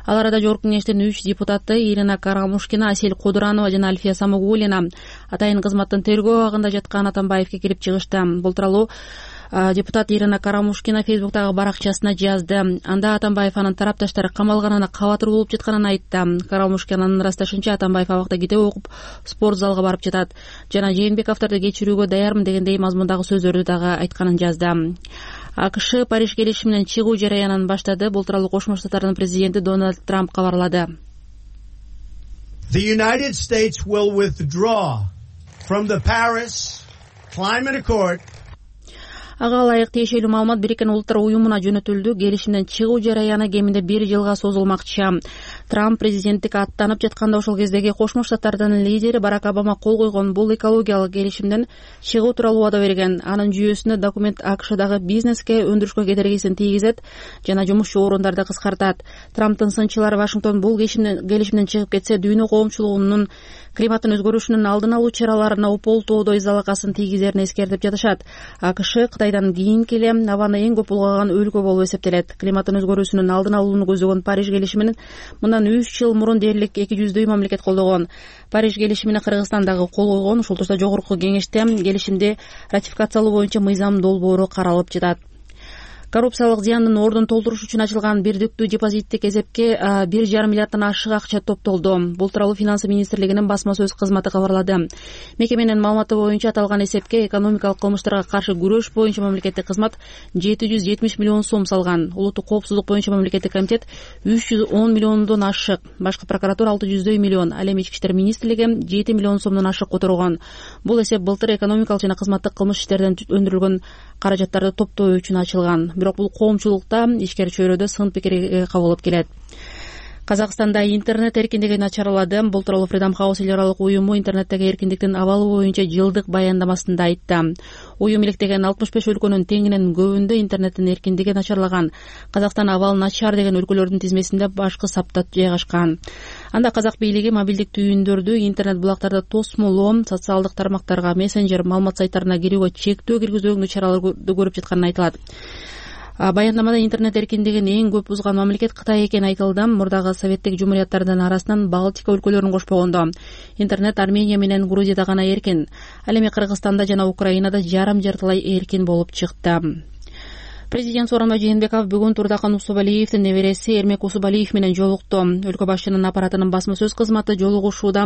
Ал арада жогорку кеңештин 3 депутаты Ирина Карамушкина, Асель Кудуранова жана Альфия Самогулина атайын кызматтын тергөө абагында жаткан Атамбаевге кирип чыгышты. Бул тууралуу депутат Ирина Карамушкина Фейсбуктагы баракчасына жазды. Анда Атамбаев анын тарапташтары камалганына кабатыр болуп жатканын айтты. Карамушкинанын ырасташынча Атамбаев абакта китеп окуп, спорт залга барып жатат жана Жээнбековдорду кечирүүгө даярмын дегендей мазмундагы сөздөрдү дагы айтканын жазды. АКШ Париж келишиминен чыгуу жараянын баштады. Бул тууралуу Кошмо Штаттардын президенти Дональд Трамп кабарлады. The United States will withdraw from the Paris Climate Accord. Ага ылайык тиешелүү маалымат Бириккен Улуттар уюмуна жөнөтүлдү. Келишимден чыгуу жараяны кеминде 1 жылга созулмакчы. Трамп президенттикке аттанып жатканда ошол кездеги Кошмо Штаттардын лидери Барак Обама кол койгон бул экологиялык келишимден чыгуу тууралуу убада берген. Анын жүйөсүндө документ АКШдагы бизнеске, өндүрүшкө кедергисин тийгизет жана жумушчу орундарды кыскартат. Трамптын сынчылары Вашингтон бул келишимден чыгып кетсе, дүйнө коомчулугунун климаттын өзгөрүшүнүн алдын алуу чараларына ополтоодой залакасын тийгизерин эскертип жатышат. АКШ Кытайдан кийинки эле абаны эң көп булгаган өлкө болуп эсептелет. Климаттын өзгөрүүсүнүн алдын алууну көздөгөн Париж келишимин мындан 3 жыл мурун дээрлик 200 мамлекет колдогон. Париж келишимине Кыргызстан дагы кол койгон. Ушул турда жогорку кеңеште келишимди ратификациялоо боюнча мыйзам долбоору каралып жатат. Коррупциялык зыяндын ордун толтуруш үчүн ачылган бирдиктүү депозиттик эсепке 1,5 миллиарддан ашык акча топтолду. Бул тууралуу Финансы министрлигинин басма сөз кызматы кабарлады. Мекеменин маалыматы боюнча аталган эсепке экономикалык кылмыштарга каршы күрөш боюнча мамлекеттик кызмат 770 миллион сом салган. Улуттук коопсуздук боюнча мамлекеттик комитет 310 миллиондон ашык, башкы прокуратура 600 миллион, ал эми Ички иштер министрлиги 7 миллион сомдон ашык которгон. Бул эсеп былтыр экономикалык жана кызматтык кылмыш иштерден өндүрүлгөн каражаттарды топтоо үчүн ачылган. Бирок бул коомчулукта ишкер чөйрөдө сын пикир кабыл келет. Казакстанда интернет эркиндиги начарлады. Бул тууралуу Freedom House эл аралык уюму интернеттеги эркиндиктин абалы боюнча жылдык баяндамасында айтты. Уюм иликтеген 65 өлкөнүн теңинен көбүндө интернеттин эркиндиги начарлаган. Казакстан абал начар деген өлкөлөрдүн тизмесинде башкы сапта жайгашкан. Анда казак бийлиги мобилдик түйүндөрдү, интернет булактарды тосмолоо, социалдык тармактарга, мессенджер, маалымат сайттарына кирүүгө чектөө киргизүүгө чараларды көрүп жатканын айтылат. Баяндамада интернет эркиндигин эң көп бузган мамлекет Кытай экени айтылды. Мурдагы советтик жумурияттардын арасынан Балтика өлкөлөрүн кошпогондо интернет Армения менен Грузияда гана эркин. Ал эми Кыргызстанда жана Украинада жарым жартылай эркин болуп чыкты. Президент Сооронбай Жээнбеков бүгүн Турдакан Усубалиевдин небереси Эрмек Усубалиев менен жолукту. Өлкө башчынын аппаратынын басма сөз кызматы жолугушууда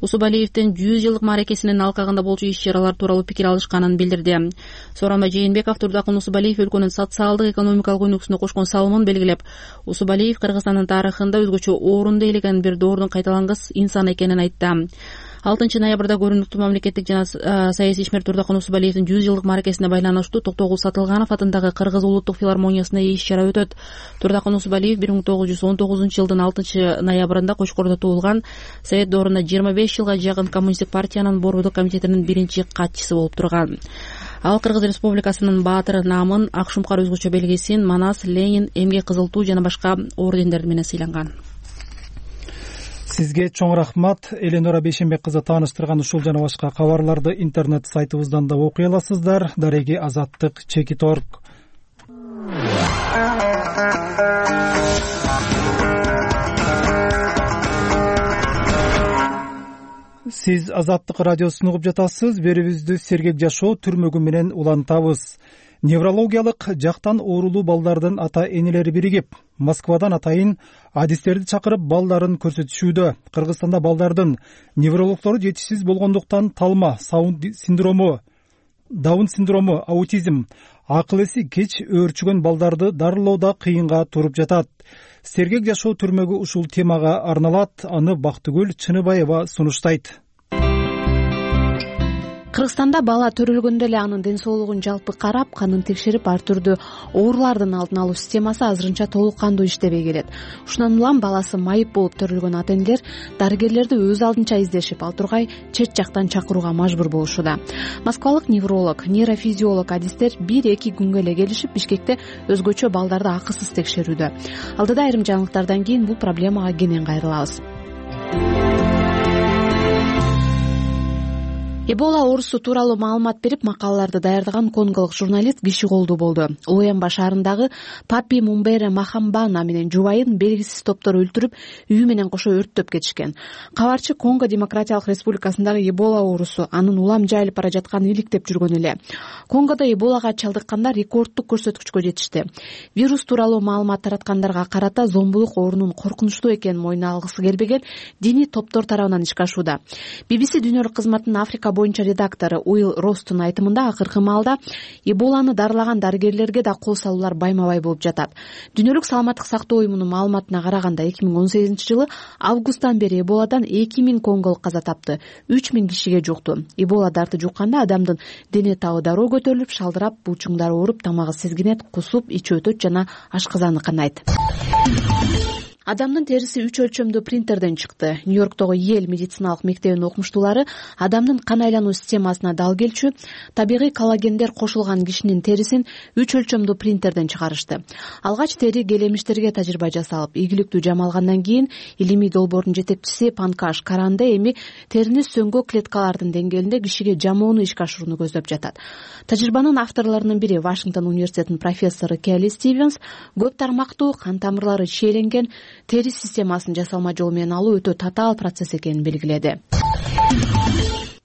Усубалиевдин 100 жылдык мааракесинин алкагында болчу иш-чаралар тууралуу пикир алышканын билдирди. Сооронбай Жээнбеков Турдакан Усубалиев өлкөнүн социалдык экономикалык өнүгүүсүнө кошкон салымын белгилеп, Усубалиев Кыргызстандын тарыхында өзгөчө орунду ээлеген бир доордун кайталангыс инсан экенин айтты. 6 ноябрда көрүнүктүү мамлекеттик жана саясий ишмер Турдакан Усубалиевдин 100 жылдык мааракесине байланыштуу Токтогул Сатылганов атындагы Кыргыз улуттук филармониясында иш-чара өтөт. Турдакан Усубалиев 1919 жылдын 6 ноябрында Кочкордо туулган. Совет доорунда 25 жылга жакын коммунисттик партиянын борбордук комитетинин биринчи катчысы болуп турган. Ал Кыргыз Республикасынын баатыры намын, ак шумкар өзгөчө белгисин, Манас, Ленин, Эмгек Кызыл Туу жана башка ордендер менен сыйланган. Сизге чоң рахмат. Эленора Бейшенбек кызы тааныштырган ушул жана башка кабарларды интернет сайтыбыздан да окуй аласыздар. Дареги Азаттык Чекиторг. Сиз Азаттык радиосун угуп жатасыз. Берүүбүздү Сергек жашоо түрмөгү менен улантабыз. Неврологиялык жактан оорулуу балдардын ата энелери биригип, Москвадан атайын адистерди чакырып балдарын көрсөтүшүүдө. Кыргызстанда балдардын неврологдору жетишсиз болгондуктан талма, Даун синдрому, аутизм, акыл эси кеч өөрчүгөн балдарды дарылоодо кыйынга туруп жатат. Сергек жашоо түрмөгү ушул темага арналат. Аны Бактыгүл Чыныбаева сунуштайт. Кыргызстанда бала төрөлгөндө эле анын ден соолугун жалпы карап, канын текшерип, ар түрдүү оорулардын алдын алуу системасы азырынча толук кандуу иштебей келет. Ушундан улам баласы майып болуп төрөлгөн ата энелер дарыгерлерди өз алдынча издешип, ал тургай чет жактан чакырууга мажбур болушууда. Москвалык невролог, нейрофизиолог адистер 1-2 күнгө эле келишип, Бишкекте өзгөчө балдарды акысыз текшерүүдө. Алдыда айрым жаңылыктардан кийин бул проблемага кенен кайрылабыз. Эбола оорусу тууралуу маалымат берип, макалаларды даярдаган конголук журналист киши колдуу болду. Лоямба шаарындагы Папи Мумбере Махамбана менен жубайын белгисиз топтор өлтүрүп, үйү менен кошо өрттөп кетишкен. Кабарчы Конго Демократиялык Республикасындагы Эбола оорусу анын улам жайылып бара жатканын иликтеп жүргөн эле. Конгодо Эболага чалдыккандар рекордтук көрсөткүчкө жетишти. Вирус тууралуу маалымат тараткандарга карата зомбулук оорунун коркунучтуу экенин мойнуна алгысы келбеген диний топтор тарабынан ишке ашууда. BBC дүйнөлүк кызматынын Африка боюнча редактору Уилл Ростун айтымында акыркы маалда Эболаны дарылаган дарыгерлерге да кол салуулар байма-бай болуп жатат. Дүйнөлүк саламаттык сактоо уюмунун маалыматына караганда 2018 жылы августтан бери Эболадан 2000 конголук каза тапты, 3000 кишиге жукту. Эбола дарты жукканда адамдын дене табы дароо көтөрүлүп, шалдырап, булчуңдары ооруп, тамагы сезгинет, кусуп, ичи өтөт жана ашказаны канайт. Адамдын териси 3 өлчөмдүү принтерден чыкты. Нью-Йорктогу Йель медициналык мектебинин окумуштуулары адамдын кан айлануу системасына дал келчү табигый коллагендер кошулган кишинин терисин 3 өлчөмдүү принтерден чыгарышты. Алгач тери келемиштерге тажрыйба жасалып, ийгиликтүү жамалгандан кийин илимий долбоордун жетекчиси Панкаш Каранде эми терини сөңгө клеткалардын деңгээлинде кишиге жамоону ишке ашырууну көздөп жатат. Тажрыйбанын авторлорунун бири Вашингтон университетинин профессору Келли Стивенс көп тармактуу кан тамырлары чийленген тери системасын жасалма жол менен алуу өтө татаал процесс экенин белгиледи.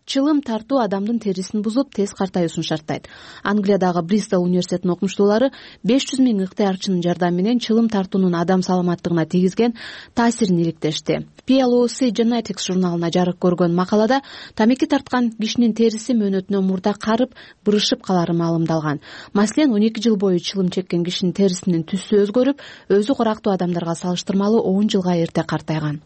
Чылым тартуу адамдын терисин бузуп, тез картаюусун шарттайт. Англиядагы Бристол университетинин окумуштуулары 500 000 ыктыярчынын жардамы менен чылым тартуунун адам саламаттыгына тийгизген таасирин иликтешти. PLOS Genetics журналына жарык көргөн макалада тамеки тарткан кишинин териси мөөнөтүнөн мурда карып, бырышып калары маалымдалган. Маселен, 12 жыл бою чылым чеккен кишинин терисинин түсү өзгөрүп, өзү курактуу адамдарга салыштырмалуу 10 жылга эрте картайган.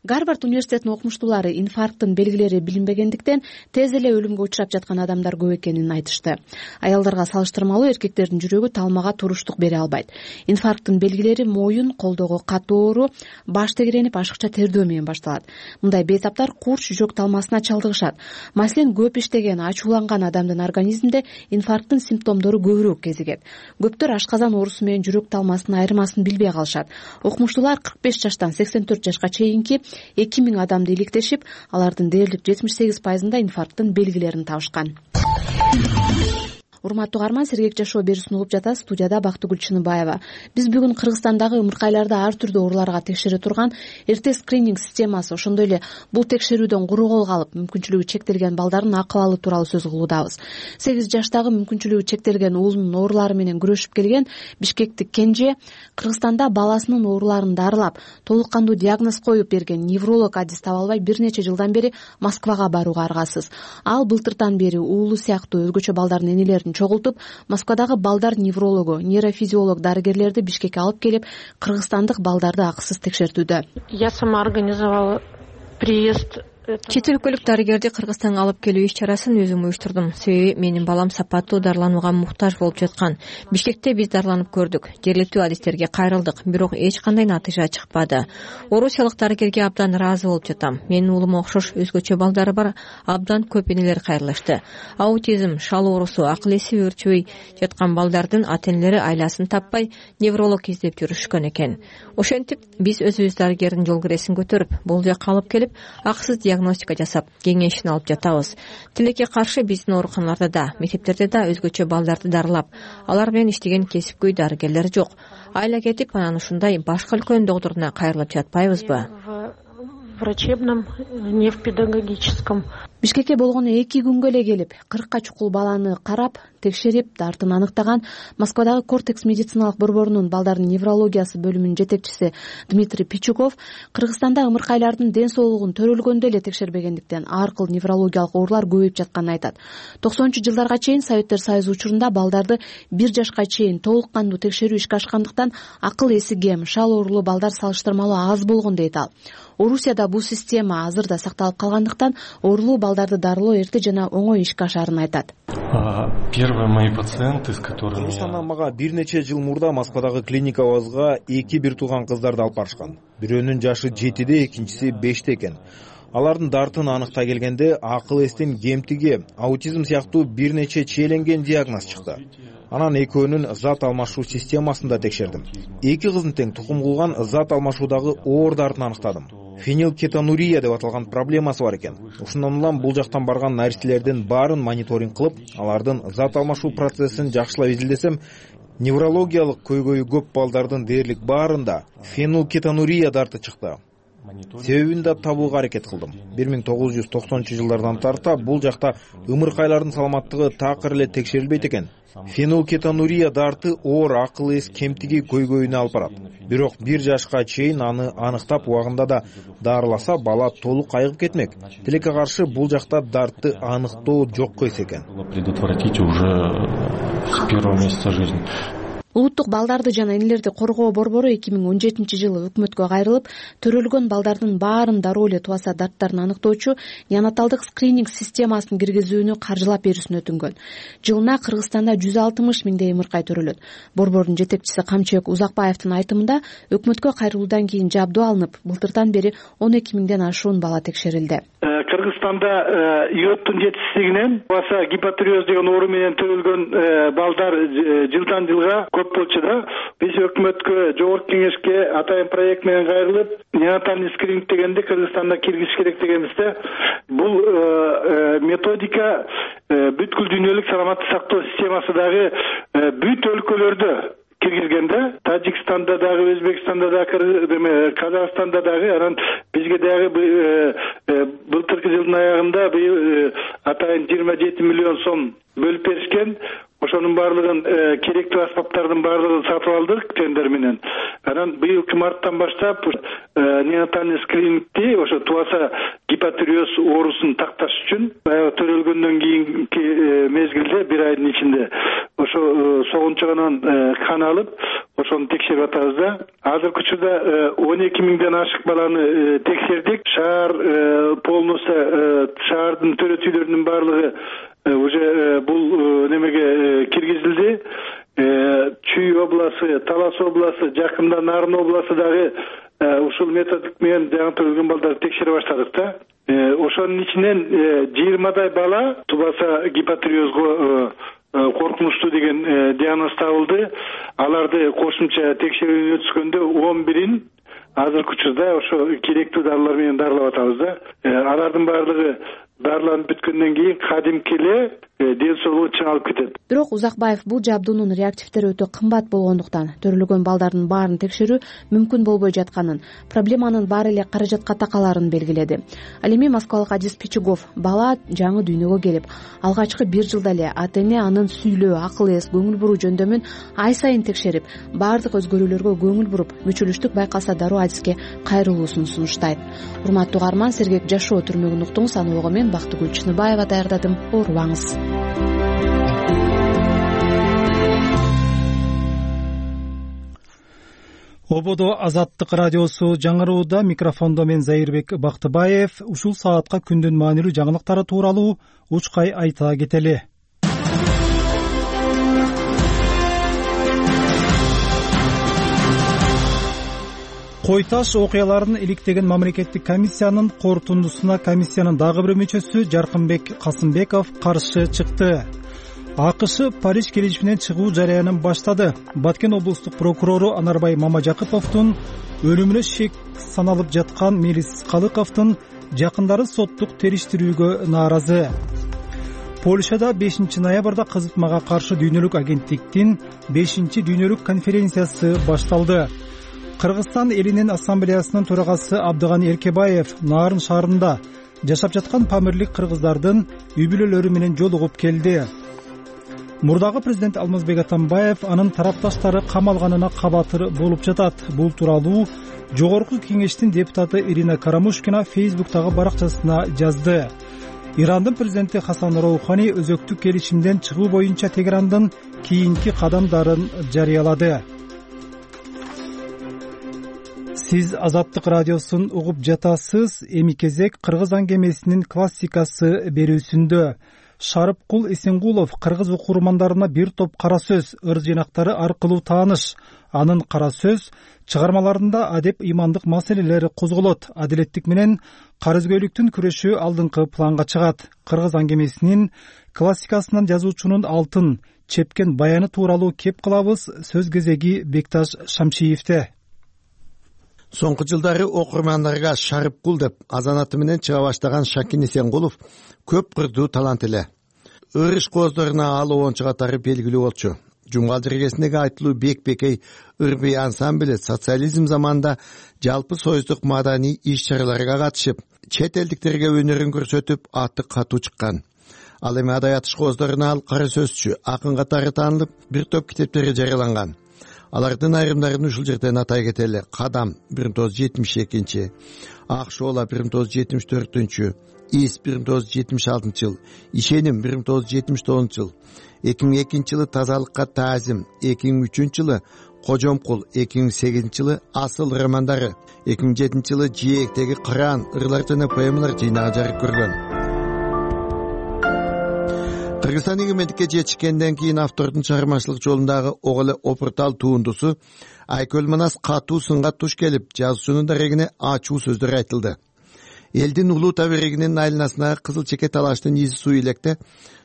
Гарвард университетинин окумуштуулары инфаркттын белгилери билинбегендиктен тез эле өлүмгө учурап жаткан адамдар көп экенин айтышты. Аялдарга салыштырмалуу эркектердин жүрөгү талмага туруштук бере албайт. Инфаркттын белгилери моюн, колдогу катуу оору, баш тегеренип, ашыкча тердөө менен башталат. Мындай бейтаптар курч жүрөк талмасына чалдыгышат. Маселен, көп иштеген, ачууланган адамдын организминде инфаркттын симптомдору көбүрөөк кезигет. Көптөр ашказан оорусу менен жүрөк талмасынын айырмасын билбей калышат. Окумуштуулар 45 жаштан 84 жашка чейинки 2000 адамды иликтешип, алардын дээрлик 78%-ында инфаркттын белгилерин табышкан. Урматтуу угарман, Сергек жашоо берүүсүн угуп жатасыз. Студияда Бактыгүл Чыныбаева. Биз бүгүн Кыргызстандагы ымыркайларды ар түрдүү ооруларга текшере турган эрте скрининг системасы, ошондой эле бул текшерүүдөн куру калып мүмкүнчүлүгү чектелген балдардын акыбалы тууралуу сөз кылуудабыз. 8 жаштагы мүмкүнчүлүгү чектелген уулунун оорулары менен күрөшүп келген бишкектик Кенже Кыргызстанда баласынын ооруларын дарылап, толук кандуу диагноз коюп берген невролог адис таба албай бир нече жылдан бери Москвага барууга аргасыз. Ал былтыртан бери уулу сыяктуу өзгөчө балдардын энелерин чогултуп, Москвадагы балдар неврологу, нейрофизиолог дарыгерлерди Бишкекке алып келип, кыргызстандык балдарды акысыз текшертүүдө. Я сама организовала приезд. Чет өлкөлүк дарыгерди Кыргызстанга алып келүү иш-чарасын өзүм уюштурдум. Себеби менин балам сапаттуу дарыланууга муктаж болуп жаткан. Бишкекте биз дарыланып көрдүк. Жергиликтүү адистерге кайрылдык, бирок эч кандай натыйжа чыкпады. Орусиялык дарыгерге абдан ыраазы болуп жатам. Менин уулума окшош өзгөчө балдары бар абдан көп энелер кайрылышты. Аутизм, шал оорусу, акыл эси өөрчүбөй жаткан балдардын ата-энелери айласын таппай невролог издеп жүрүшкөн экен. Ошентип биз өзүбүз дарыгердин жол киресин көтөрүп, бул жакка алып келип, акысыз диагностика жасап, кеңешин алып жатабыз. Тилекке каршы биздин ооруканаларда да, мектептерде да өзгөчө балдарды дарылап, алар менен иштеген кесипкөй дарыгерлер жок. Айла кетип, анан ушундай башка өлкөнүн докторуна кайрылып жатпайбызбы? Врачебном, не в педагогическом. Бишкекке болгону 2 күнгө эле келип, 40 чукул баланы карап, текшерип, дартын аныктаган Москвадагы Кортекс медициналык борборунун балдардын неврологиясы бөлүмүнүн жетекчиси Дмитрий Пичуков Кыргызстанда ымыркайлардын ден соолугун төрөлгөндө эле текшербегендиктен ар кыл неврологиялык оорулар көбөйүп жатканын айтат. 90-жылдарга чейин Советтер Союзу учурунда балдарды 1 жашка чейин толук кандуу текшерүү ишке ашкандыктан акыл эси кем, шал оорулуу балдар салыштырмалуу аз болгон дейт ал. Орусияда бул система азыр да сакталып калгандыктан оорулуу балдарды дарылоо эрте жана оңой ишке ашарын айтат. Первые мои пациенты, с которыми Кыргызстандан мага бир нече жыл мурда Москвадагы клиникабызга 2 бир тууган кыздарды алып барышкан. Бирөөнүн жашы 7-де, экинчиси 5-те экен. Алардын дартын аныктай келгенде акыл эстин кемтиги, аутизм сыяктуу бир нече чиеленген диагноз чыкты. Анан экөөнүн зат алмашуу системасында текшердим. 2 кыздын тең тукум кылган зат алмашуудагы оор дартын аныктадым. Фенилкетонурия деп аталган проблемасы бар экен. Ушундан улам бул жактан барган наристелердин баарын мониторинг кылып, алардын зат алмашуу процессин жакшылап изилдесем, неврологиялык көйгөйү көп балдардын дээрлик баарында фенилкетонурия дарты чыкты. Себебин да табууга аракет кылдым. 1990-жылдардан тарта бул жакта ымыркайлардын саламаттыгы такыр эле текшерилбейт экен. Фенилкетонурия дарты оор акыл эс кемтиги көйгөйүнө алып барат. Бирок 1 жашка чейин аны аныктап убагында да дарыласа, бала толук айыгып кетмек. Тилекке каршы бул жакта дартты аныктоо жокко эс экен. Предотвратить уже с первого месяца жизни. Улуттук балдарды жана энелерди коргоо борбору 2017-жылы өкмөткө кайрылып, төрөлгөн балдардын баарын дароо эле туаса дарттарын аныктоочу неонаталдык скрининг системасын киргизүүнү каржылап берүүсүн өтүнгөн. Жылына Кыргызстанда 160 миңдей ымыркай төрөлөт. Борбордун жетекчиси Камчыбек Узакбаевдин айтымында, өкмөткө кайрылуудан кийин жабдуу алынып, былтыртан бери 12 миңден ашуун бала текшерилди. Кыргызстанда иоттун жетишсиздигинен баса гипотиреоз деген оору менен төрөлгөн балдар жылдан жылга көп болчу да. Биз өкмөткө, жогорку кеңешке атайын проект менен кайрылып, неонатальный скрининг дегенди Кыргызстанда киргизиш керек дегенбизде, бул методика бүткүл дүйнөлүк саламаттык сактоо системасы дагы бүт өлкөлөрдө киргизгенде, Тажикстанда дагы, Өзбекстанда дагы, Казакстанда дагы, анан бизге дагы былтыркы жылдын аягында атайын 27 миллион сом бөлүп беришкен. Ошонун баардыгын керектүү аспаптардын баардыгын сатып алдык тендер менен. Анан быйылкы марттан баштап неонатальный скринингти ошо туаса гипотиреоз оорусун такташ үчүн төрөлгөндөн кийинки мезгилде 1 айдын ичинде ошо согунчугунан кан алып, ошону текшерип атабыз да. Азыркы учурда 12 миңден ашык баланы текшердик. Шаар полностью шаардын төрөтүүлөрүнүн баардыгы уже бул немеге киргизилди. Чүй областы, Талас областы, жакында Нарын областы дагы ушул методик менен жаңы төрөлгөн балдарды текшере баштадык да. Ошонун ичинен 20дай бала тубаса гипотиреозго коркунучтуу деген диагноз табылды. Аларды кошумча текшерүүдөн өткөндө 11-ин азыркы учурда ошо керектүү дарылар менен дарылап атабыз да. Алардын баардыгы дарыланып бүткөндөн кийин кадимки эле ден соолугу чыңалып кетет. Бирок Узакбаев бул жабдуунун реактивдери өтө кымбат болгондуктан төрөлгөн балдардын баарын текшерүү мүмкүн болбой жатканын, проблеманын баары эле каражатка такаларын белгиледи. Ал эми москвалык Адис Пичугов бала жаңы дүйнөгө келип, алгачкы 1 жылда эле ата-эне анын сүйлөө, акыл эс, көңүл буруу жөндөмүн ай сайын текшерип, баардык өзгөрүүлөргө көңүл буруп, мүчүлүштүк байкалса дароо Адиске кайрылуусун сунуштайт. Урматтуу угарман, сергек жашоо түрмөгүн уктуңуз. Аны угуу мен Бактыгүл Чыныбаева даярдадым. Оорубаңыз. Ободо Азаттык радиосу жаңырууда. Микрофондо мен Зайырбек Бактыбаев. Ушул саатка күндүн маанилүү жаңылыктары тууралуу учкай айта кетели. Кой Таш окуяларын иликтеген мамлекеттик комиссиянын корутундусуна комиссиянын дагы бир мүчөсү Жаркынбек Касымбеков каршы чыкты. АКШ Париж келишиминен чыгуу жарыянын баштады. Баткен облустук прокурору Анарбай Мамажакыповдун өлүмүнө шек саналып жаткан Мелис Калыковдун жакындары соттук териштирүүгө нааразы. Польшада 5 ноябрда кызытмага каршы дүйнөлүк агенттиктин 5-дүйнөлүк конференциясы башталды. Кыргызстан элинин ассамблеясынын төрагасы Абдыган Эркебаев Нарын шаарында жашап жаткан памирлик кыргыздардын үй бүлөлөрү менен жолугуп келди. Мурдагы президент Алмазбек Атамбаев анын тарапташтары камалганына кабатыр болуп жатат. Бул тууралуу Жогорку кеңештин депутаты Ирина Карамушкина Фейсбуктагы баракчасына жазды. Ирандын президенти Хасан Роухани өзөктүк келишимден чыгуу боюнча Тегерандын кийинки кадамдарын жарыялады. Сиз Азаттык радиосун угуп жатасыз. Эми кезек Кыргыз аңгемесинин классикасы берүүсүндө. Шарыпкул Эсенгулов кыргыз окурмандарына бир топ кара сөз, ыр жыйнактары аркылуу тааныш. Анын кара сөз чыгармаларында адеп имандык маселелери козголот. Адилеттик менен карызгөйлүктүн күрөшү алдыңкы планга чыгат. Кыргыз аңгемесинин классикасынан жазуучунун алтын чепкен баяны тууралуу кеп кылабыз. Сөз кезеги Бекташ Шамшиевде. Соңку жылдары окурмандарга Шарыпкул деп азанаты менен чыга баштаган Шакин Эсенгулов көп кырдуу талант эле. Ыр кооздоруна ал оончу катары белгилүү болчу. Жумгал жергесиндеги айтылуу Бек-Бекей ыр-бий ансамблі социализм заманында жалпы союздук маданий иш-чараларга катышып, чет элдиктерге өнөрүн көрсөтүп, аты катуу чыккан. Ал эми адаят кооздоруна ал кара сөзчү, акын катары таанылып, бир топ китептери жарыяланган. Алардын айрымдарын ушул жерден атай кетели. Кадам 1972, Ак шоола 1974, Ис 1976 жыл, Ишеним 1979 жыл, 2002 жылы Тазалыкка таазим, 2003 жылы Кожомкул, 2008 жылы Асыл романдары, 2007 жылы Жээктеги Кыран ырлар жана поэмалар жыйнагы жарык көргөн. Кыргызстан эгемендикке жетишкенден кийин автордун чыгармачылык жолундагы ого эле опуртал туундусу Айкөл Манас катуу сынга туш келип, жазуучунун дарегине ачуу сөздөр айтылды. Элдин улуу табигинин айланасына кызыл чеке талаштын изи суу электе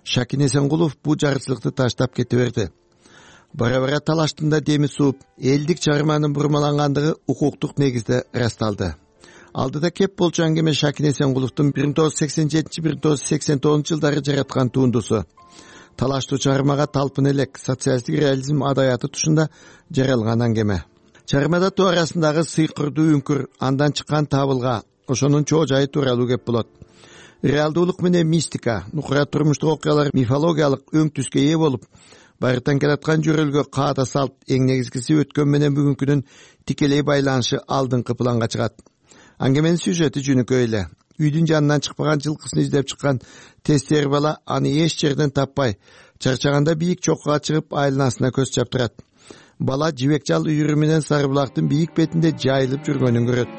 Шакин Эсенгулов бул жарычылыкты таштап кете берди. Бара-бара талаштын да деми сууп, элдик чыгарманын бурмалангандыгы укуктук негизде ырасталды. Алдыда кеп болчу аңгеме Шакин Эсенгуловдун 1987-1989 жылдары жараткан туындусу. Талаштуу чыгармага талпын элек социалисттик реализм адаяты тушунда жаралган аңгеме. Чыгармада тоо арасындагы сыйкырдуу үңкүр, андан чыккан табылга, ошонун чоо жайы тууралуу кеп болот. Реалдуулук менен мистика, нукура турмуштук окуялар мифологиялык өң түскө ээ болуп, байыртан келаткан жөрөлгө каада салт, эң негизгиси өткөн менен бүгүнкүнүн тикелей байланышы алдыңкы планга чыгат. Аңгеменин сюжети жөнөкөй эле. Үйдүн жанынан чыкпаган жылкысын издеп чыккан тестер бала аны эч жерден таппай, чарчаганда бийик чоккуга чыгып айланасына көз чаптырат. Бала жибек жал үйүрү менен Сары булактын бийик бетинде жайылып жүргөнүн көрөт.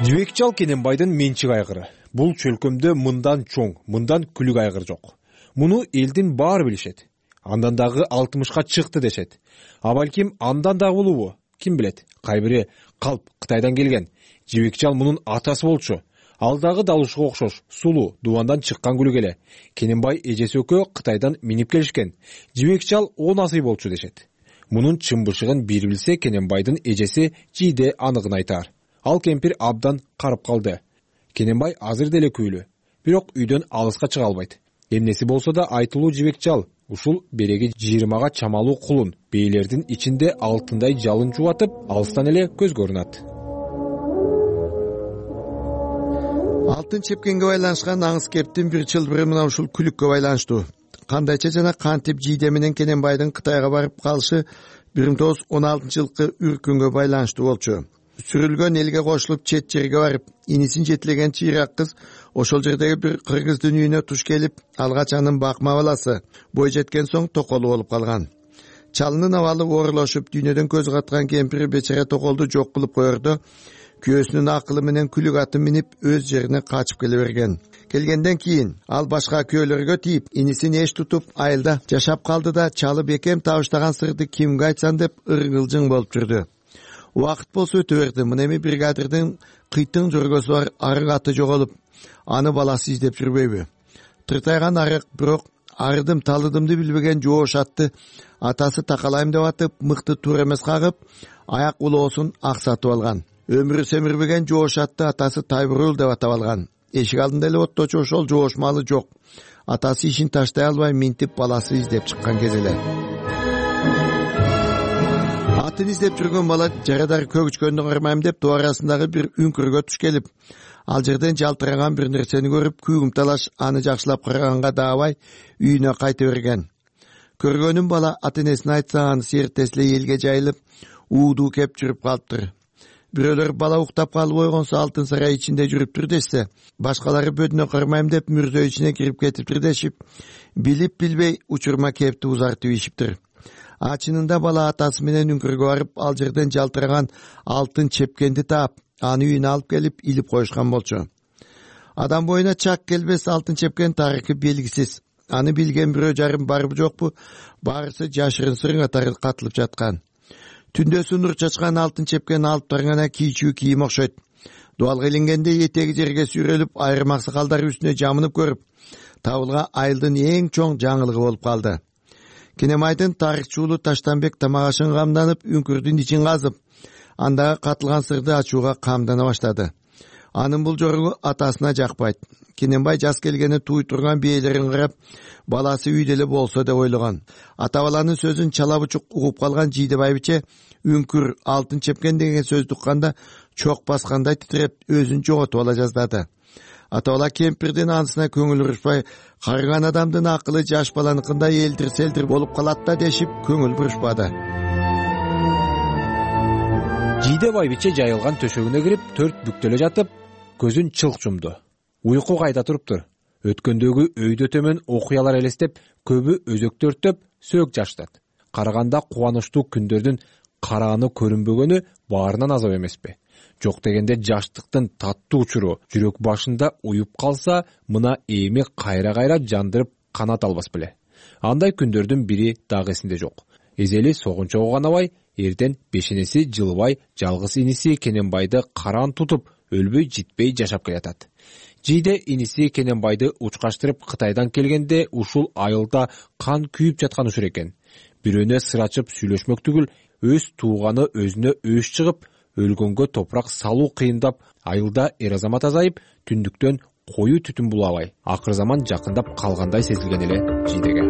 Жибек жал Кененбайдын менчик айгыры. Бул чөлкөмдө мындан чоң, мындан күлүк айгыр жок. Муну элдин баары билишет. Андан дагы 60ка чыкты дешет. А балким андан дагы улуубу? Ким билет? Кайбири калп Кытайдан келген. Жибек жал мунун атасы болчу. Ал дагы далушуга окшош, сулуу, дубандан чыккан күлүк эле. Кененбай эжеси экөө Кытайдан минип келишкен. Жибек жал 10 асый болчу дешет. Мунун чын-бышыгын бир билсе Кененбайдын эжеси Жийде аныгын айтар. Ал кемпир абдан карып калды. Кененбай азыр деле күйлүү, бирок үйдөн алыска чыга албайт. Эмнеси болсо да айтылуу жибекчал, ушул береги 20га чамалуу кулун бейлердин ичинде алтындай жалын жубатып, алыстан эле көзгө көрүнөт. Алтын чепкенге байланышкан аңыз кептин бир чылбыры мына ушул күлүккө байланыштуу. Кандайча жана кантип Жийде менен Кененбайдын Кытайга барып калышы 1916-жылкы үркүнгө байланыштуу болчу. Сүрүлгөн элге кошулуп чет жерге барып, инисин жетилеген чыйрак кыз ошол жердеги бир кыргыздын үйүнө туш келип, алгач анын бакма баласы бой жеткен соң токолу болуп калган. Чалынын абалы оорлошуп, дүйнөдөн көз каткан кемпири бечара токолду жок кылып коердо, күйөөсүнүн акылы менен күлүк атын минип өз жерине качып келе берген. Келгенден кийин ал башка күйөөлөргө тийип, инисин эч тутуп айылда жашап калды да, чалы бекем табыштаган сырды кимге айтсам деп ыргылжың болуп жүрдү. Убакыт болсо өтө берди. Мына эми бригадирдин кыйтың жөргөсү бар арык аты жоголуп, аны баласы издеп жүрбөйбү? Тыртайган арык, бирок арыдым талыдымды билбеген жоош атты атасы такалайм деп атып, мыкты тур эмес кагып, аяк улоосун аксатып алган. Өмүрү семирбеген жоош атты атасы Тайбурул деп атап алган. Эшик алдында эле отточу ошол жоош малы жок. Атасы ишин таштай албай минтип баласы издеп чыккан кез эле. Атын издеп жүргөн бала жарадар көгүчкөндү кармайм деп тоо арасындагы бир үңкүргө туш келип, ал жерден жалтыраган бир нерсени көрүп, күйгүм талаш аны жакшылап караганга даабай үйүнө кайта берген. Көргөнүн бала ата энесине айтса, анысы эртеси эле элге жайылып, уудуу кеп жүрүп калыптыр. Бирөөлөр бала уктап калып ойгонсо алтын сарай ичинде жүрүптүр дешсе, башкалары бөдүнө кармайм деп мүрзө ичине кирип кетиптир дешип, билип билбей учурма кепти узартып ийишиптир. Чынында бала атасы менен үңкүргө барып, ал жерден жалтыраган алтын чепкенди таап, аны үйүнө алып келип илип коюшкан болчу. Адам боюна чак келбес алтын чепкен тарыхы белгисиз. Аны билген бирөө жарым барбы жокпу, баарысы жашырын сырыңа катылып жаткан. Түндөсү нур чачкан алтын чепкен алып таргана кийчүү кийим окшойт. Дуалга илингенде этеги жерге сүйрөлүп, айрым аксакалдар үстүнө жамынып көрүп, табылга айылдын эң чоң жаңылыгы болуп калды. Кененбайдын тарыхчуулу Таштанбек тамагашын камданып, үңкүрдүн ичин казып, андагы катылган сырды ачууга камдана баштады. Анын бул жоругу атасына жакпайт. Кененбай жас келгени туй турган бээлерин карап, баласы үйдө эле болсо деп ойлогон. Ата баланын сөзүн чала бучук угуп калган Жийде байбиче үңкүр алтын чепкен деген сөздү укканда чок баскандай титиреп, өзүн жоготуп ала жаздады. Ата бала кемпирдин анысына көңүл бурушпай, карыган адамдын акылы жаш баланыкындай элдир-селдир болуп калат да дешип көңүл бурушпады. Жийде байбиче жайылган төшөгүнө кирип, төрт бүктөлө жатып, көзүн чылк жумду. Уйку кайда туруптур. Өткөндөгү өйдө төмөн окуялар элестеп, көбү өзөктөртөп, сөөк жаштат. Караганда кубанычтуу күндөрдүн карааны көрүнбөгөнү баарынан азап эмеспи? Жок дегенде жаштыктын таттуу учуру жүрөк башында уюп калса, мына эми кайра-кайра жандырып канат албас беле. Андай күндөрдүн бири дагы эсинде жок. Эзели согунчогу канабай, эрден бешенеси жылыбай жалгыз иниси Кененбайды караан тутуп, өлбөй житпей жашап келатат. Жийде иниси Кененбайды учкаштырып Кытайдан келгенде ушул айылда кан күйүп жаткан учур экен. Бирөөнө сыр ачып сүйлөшмөк түгүл, өз тууганы өзүнө өш чыгып, өлгөнгө топурак салуу кыйындап, айылда эр азамат азайып, түндүктөн коюу түтүн булабай, акыр заман жакындап калгандай сезилген эле Жийдеге.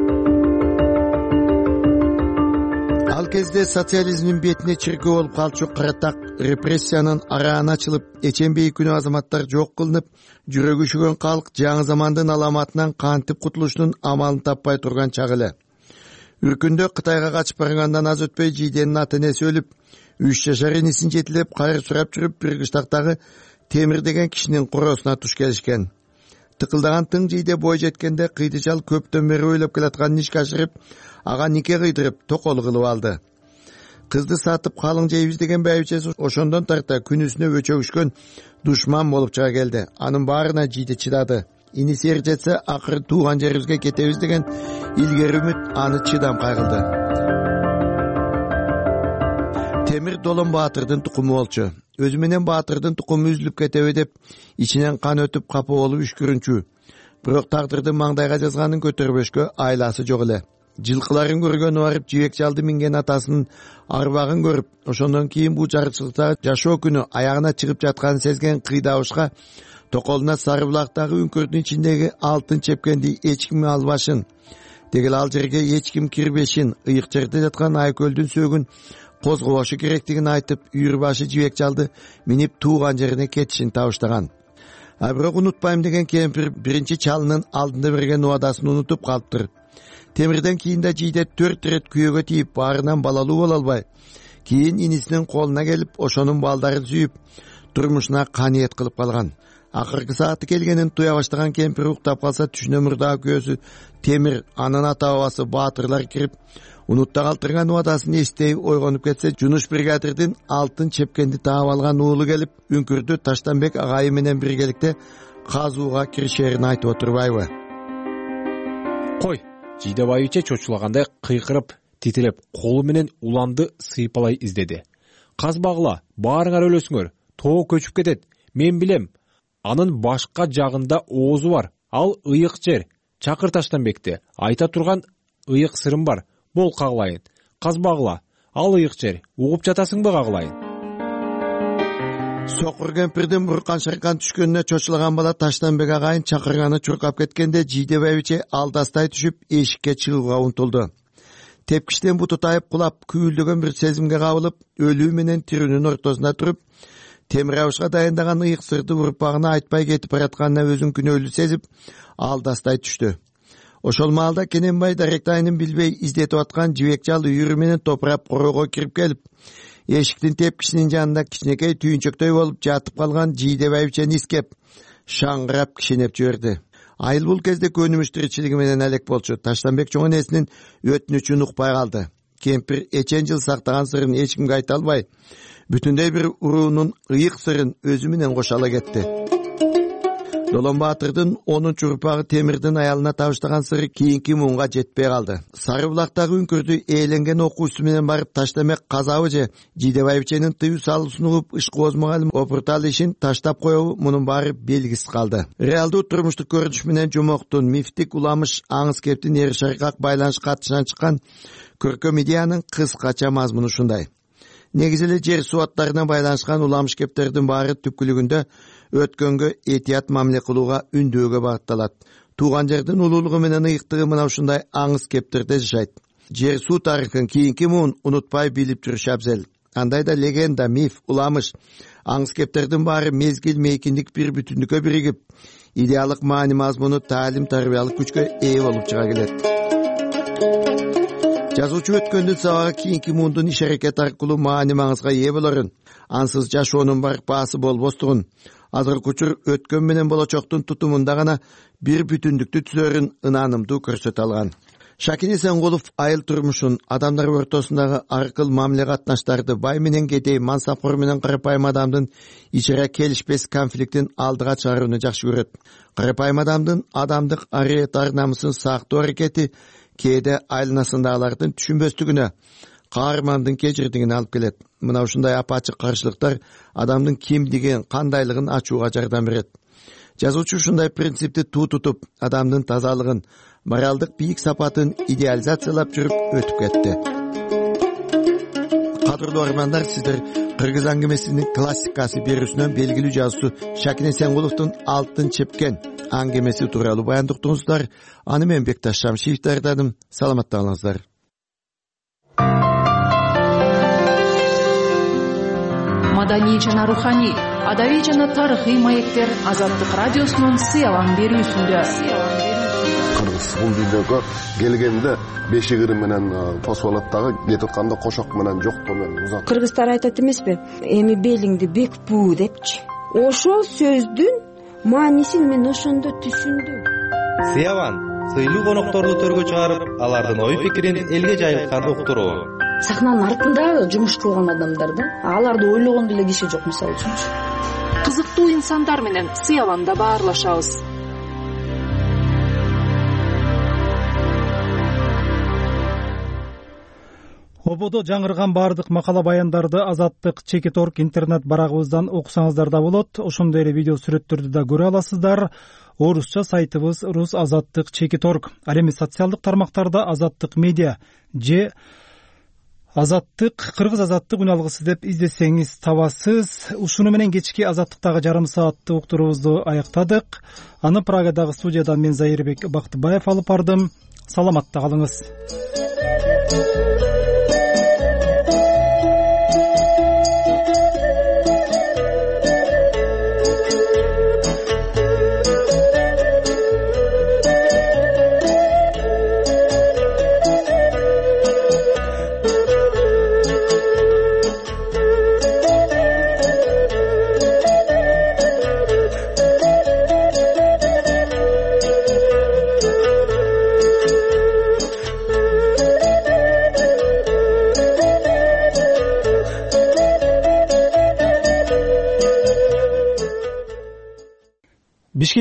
Ал кезде социализмдин бетине чиркөө болуп калчу каратак репрессиянын арааны ачылып, эчембей күнү азаматтар жок кылынып, жүрөгү үшүгөн калк жаңы замандын аламатынан кантип кутулуштун амалын таппай турган чак эле. Үркүндө Кытайга качып баргандан аз өтпөй Жийденин ата энеси өлүп, 3 жашар инисин жетилеп кайыр сурап жүрүп, бир кыштактагы Темир деген кишинин короосуна туш келишкен. Тыкылдаган тың Жийде бой жеткенде кыйдычал көптөн бери ойлоп келаткан ишке ашырып, ага нике кыйдырып, токолу кылып алды. Кызды сатып калың жейбиз деген байбичеси ошондон тарта күнүсүнө өчөгүшкөн душман болуп чыга келди. Анын баарына Жийде чыдады. Иниси эр жетсе, акыры тууган жерибизге кетебиз деген илгери үмүт аны чыдам кайгылды. Темир Долон Баатырдын тукуму болчу. Өзү менен Баатырдын тукуму үзүлүп кетеби деп ичинен кан өтүп капа болуп үшкүрүнчү. Бирок тагдырдын маңдайга жазганын көтөрбөшкө айласы жок эле. Жылкыларын көргөнү барып жибек жалды минген атасынын арбагын көрүп, ошондон кийин бул жарычылыкта жашоо күнү аягына чыгып жатканын сезген кыйдабышка токолуна Сары булактагы үңкүрдүн ичиндеги алтын чепкенди эч ким албашын, дегел ал жерге эч ким кирбешин, ыйык жерде жаткан айкөлдүн сөөгүн козгобошу керектигин айтып, үйүрбашы жибек жалды минип тууган жерине кетишин табыштаган. А бирок унутпайм деген кемпир биринчи чалынын алдында берген убадасын унутуп калыптыр. Темирден кийин да жийде 4 ирет күйөөгө тийип, баарынан балалуу боло албай, кийин инисинин колуна келип, ошонун балдарын сүйүп, турмушуна каниет кылып калган. Акыркы сааты келгенин туя баштаган кемпир уктап калса, түшүнө мурдагы күйөөсү Темир, анын ата бабасы Баатырлар кирип, унутта калтырган убадасын эстей ойгонуп кетсе, Жунуш бригадирдин алтын чепкенди таап алган уулу келип, үңкүрдү Таштанбек агайы менен биргеликте казууга киришерин айтып отурбайбы? Кой, Жидебаевиче чочулагандай кыйкырып, титиреп, колу менен уланды сыйпалай издеди. Казбагыла, баарыңар өлөсүңөр, тоо көчүп кетет. Мен билем. Анын башка жагында оозу бар. Ал ыйык жер. Чакыр Таштанбекти. Айта турган ыйык сырым бар. Бол кагылайын. Казбагыла, ал ыйык жер. Угуп жатасыңбы кагылайын? Сокур кемпирдин буркан-шыркан түшкөнүнө чочулаган бала Таштанбек агайын чакырганы чуркап кеткенде Жидебаевиче алдастай түшүп эшикке чыгууга умтулду. Тепкичтен буту тайып кулап, күйүлдөгөн бир сезимге кабылып, өлүү менен тирүүнүн ортосунда туруп, темир абышка дайындаган ыйык сырды урпагына айтпай кетип баратканына өзүн күнөөлүү сезип, алдастай түштү. Ошол маалда Кененбай даректайынын билбей издетип аткан жибек жал үйүрү менен топурап короого кирип келип, эшиктин тепкичинин жанында кичинекей түйүнчөктөй болуп жатып калган Жидебаевичени искеп, шаңгырап кишинеп жиберди. Айыл бул кезде көнүмүш тиричилиги менен алек болчу. Таштанбек чоң энесинин өтүнүчүн укпай калды. Кемпир эчен жыл сактаган сырын эч кимге айта албай, бүтүндөй бир уруунун ыйык сырын өзү менен кошо ала кетти. Долон Баатырдын 10 урпагы Темирдин аялына табыштаган сыры кийинки муунга жетпей калды. Сары булактагы үңкүрдү ээленген окуусу менен барып Таштанбек казабы же Жидебаевиченин тыюу салуусун угуп ишкооз мугалим опуртал ишин таштап коебу, мунун баары белгисиз калды. Реалдуу турмуштук көрүнүш менен жумоктун, мифтик уламыш, аңыз кептин эри шаркак байланыш катышынан чыккан көркөм идеянын кыскача мазмуну ушундай. Негизи эле жер суаттарына байланышкан уламыш кептердин баары түпкүлүгүндө өткөнгө этият мамиле кылууга үндөөгө багытталат. Тууган жердин улуулугу менен ыйыктыгы мына ушундай аңыз кептерде жашайт. Жер суу тарыхын кийинки муун унутпай билип жүрүш абзел. Андайда легенда, миф, уламыш, аңыз кептердин баары мезгил мейкиндик бир бүтүндүккө биригип, идеалдык маани мазмуну таалим тарбиялык күчкө ээ болуп чыга келет. Жазуучу өткөндүн сабагы кийинки муундун иш-аракет аркылуу маани маңызга ээ болорун, ансыз жашоонун барпаасы болбостугун, азыркы учур өткөн менен болочоктун тутумунда гана бир бүтүндүктү түзөрүн ынанымдуу көрсөтө алган. Шакин Эсенкулов айыл турмушун, адамдар ортосундагы аркыл мамиле катнаштарды, бай менен кедей, мансапкор менен карапайым адамдын ичара келишпес конфликтин алдыга чыгарууну жакшы көрөт. Карапайым адамдын адамдык ариет ар намысын сактоо аракети кээде айланасындагылардын түшүнбөстүгүнө, каармандын кечирдигине алып келет. Мына ушундай апачык каршылыктар адамдын кимдигин, кандайлыгын ачууга жардам берет. Жазуучу ушундай принципти туу тутуп, адамдын тазалыгын, моралдык бийик сапатын идеализациялап жүрүп өтүп кетти. Кадырлуу армандар, сиздер Кыргыз аңгемесинин классикасы берүүсүнөн белгилүү жазуучу Шакин Эсенкуловдун Алтын чепкен аңгемеси тууралуу баяндоо уктуңуздар. Аны мен Бекташ Шамшиев даярдадым. Саламатта болуңуздар. Маданий жана руханий, адабий жана тарыхый маектер Азаттык радиосунун сыялам берүүсүндө. Кыргыз бул дүйнөгө келгенде бешигири менен посолаттагы кетип атканда кошок менен жоктоо менен узат. Кыргыздар айтат эмеспи? Эми белиңди бек буу депчи. Ошол сөздүн маанисин мен ошондо түшүндүм. Сыяван сыйлуу конокторду төргө чыгарып, алардын ой пикирин элге жайылтканды уктуруу. Сахнанын артында жумуш кылган адамдар да, аларды ойлогон деле киши жок, мисалы үчүн. Кызыктуу инсандар менен Сыяванда баарлашабыз. Борбодо жаңырган баардык макала баяндарды Азаттык Чекит.орг интернет барагыбыздан окусаңыздар да болот. Ошондой эле видео сүрөттөрдү да көрө аласыздар. Орусча сайтыбыз Рус Азаттык Чекит.орг. Ал эми социалдык тармактарда Азаттык медиа же Азаттык Кыргыз Азаттык үн алгысы деп издесеңиз табасыз. Ушуну менен кечки Азаттыктагы жарым сааттык уктуруубузду аяктадык. Аны Прагадагы студиядан мен Зайырбек Бактыбаев алып бардым. Саламатта калыңыз. Бишкек